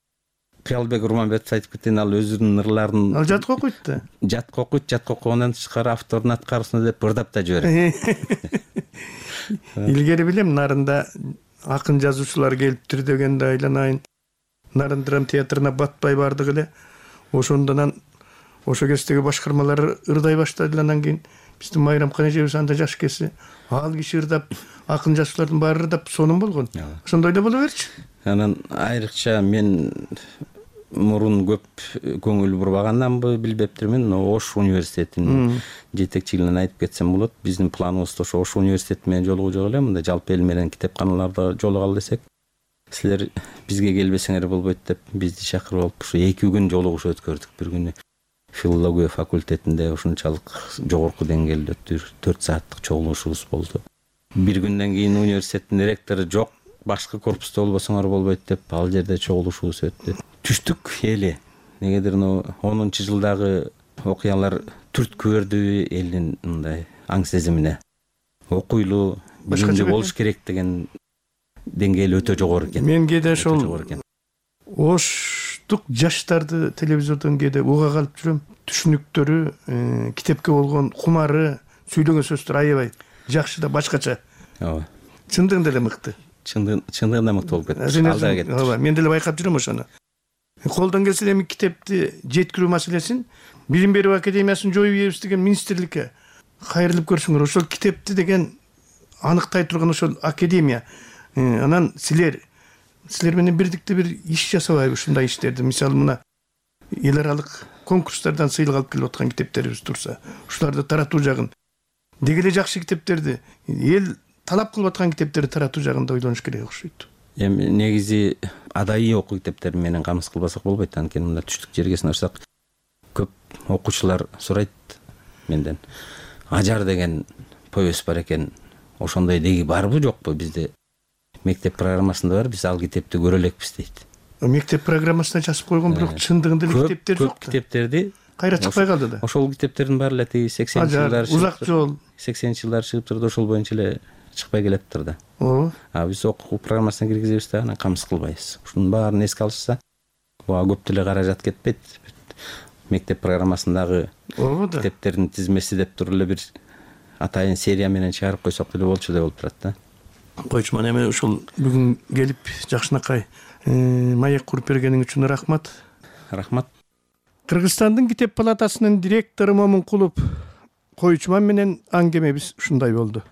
Кыялбек Урманбетов айтып кеткен, ал өзүнүн ырларын ал жатка окуйт да. Жатка окуйт, жатка окугандан тышкары автордун аткарысына деп ырдап да жиберет. Илгери билем, Нарында акын жазуучулар келиптир дегенде айланайын. Нарын драм театрына батпай бардык эле. Ошондон ошо кездеги башкармалар ырдай баштады. Андан кийин биздин Майрамкан эжебиз анда жаш кеси. Ал киши ырдап, акын жазуучулардын баары ырдап сонун болгон. Ошондой эле боло берчү. Анан айрыкча мен мурун көп көңүл бурбаганданбы билбептирмин, но Ош университетинин жетекчилигинен айтып кетсем болот. Биздин планыбызда ошо Ош университети менен жолугуу жок эле, мындай жалпы эл менен китепканаларда жолугалы десек. Силер бизге келбесеңер болбойт деп бизди чакырып алып, ушу эки күн жолугуш өткөрдүк. Бир күнү филология факультетинде ушунчалык жогорку деңгээлде төрт сааттык чогулушубуз болду. Бир күндөн кийин университеттин ректору жок, башкы корпуста болбосоңор болбойт деп ал жерде чогулушубуз өттү. Түштүк эли. Негедир онунчу жылдагы окуялар түрткү берди элдин мындай аң сезимине. Окуйлуу, билимдүү болуш керек деген деңгээл өтө жогору экен. Мен кээде ошол Оштук жаштарды телевизордон кээде уга калып жүрөм. Түшүнүктөрү, китепке болгон кумары, сүйлөгөн сөздөр аябай жакшы да башкача. Ооба. Чындыгында эле мыкты. Чындыгында мыкты болуп кетти. Алда кетти. Ооба, мен деле байкап жүрөм ошону. Колдон келсе эми китепти жеткирүү маселесин Билим берүү академиясын жоюп ийебиз деген министрликке кайрылып көрсөңөр, ошол китепти деген аныктай турган ошол академия. Анан силер силер менен бирдикте бир иш жасабайбы ушундай иштерди? Мисалы мына эл аралык конкурстардан сыйлык алып келип аткан китептерибиз турса, ушуларды таратуу жагын, деги эле жакшы китептерди, эл талап кылып аткан китептерди таратуу жагында ойлонуш керек окшойт. Эми негизи адайы окуу китептери менен камсыз кылбасак болбойт. Анткени мында түштүк жергесине барсак, көп окуучулар сурайт менден. Ажар деген повесть бар экен. Ошондой деги барбы жокпу? Бизде мектеп программасында бар, биз ал китепти көрө элекпиз дейт. Мектеп программасына жазып койгон, бирок чындыгында эле китептер жок. Көп китептерди кайра чыкпай калды да. Ошол китептердин баары эле тиги сексенинчи жылдар, Узак жол, сексенинчи жылдар чыгып турду, ошол боюнча эле чыкпай келептир да. ооба. А биз окуу программасына киргизебиз да, анан камсыз кылбайбыз. Ушунун баарын эске алышса, буга көп деле каражат кетпейт. Мектеп программасындагы китептердин тизмеси деп туруп эле бир атайын серия менен чыгарып койсок деле болчу деп болуп турат да. Койчуман, эми ушул бүгүн келип жакшынакай маек куруп бергениң үчүн рахмат. Рахмат. Кыргызстандын китеп палатасынын директору Момункулов Койчуман менен аңгемебиз ушундай болду.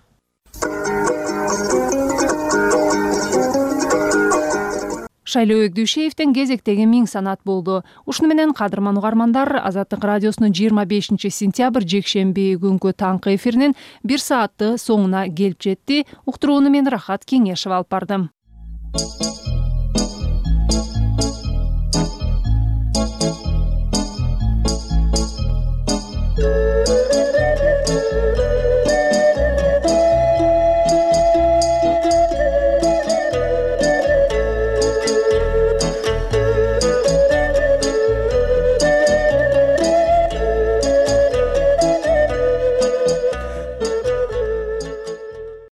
Шайлоо Өгдүшеевдин кезектеги миң санат болду. Ушуну менен кадырман угармандар, Азаттык радиосунун жыйырма бешинчи сентябрь жекшемби күнгү таңкы эфиринин бир саатты соңуна келип жетти. Уктурууну мен Рахат Кеңешева алып бардым.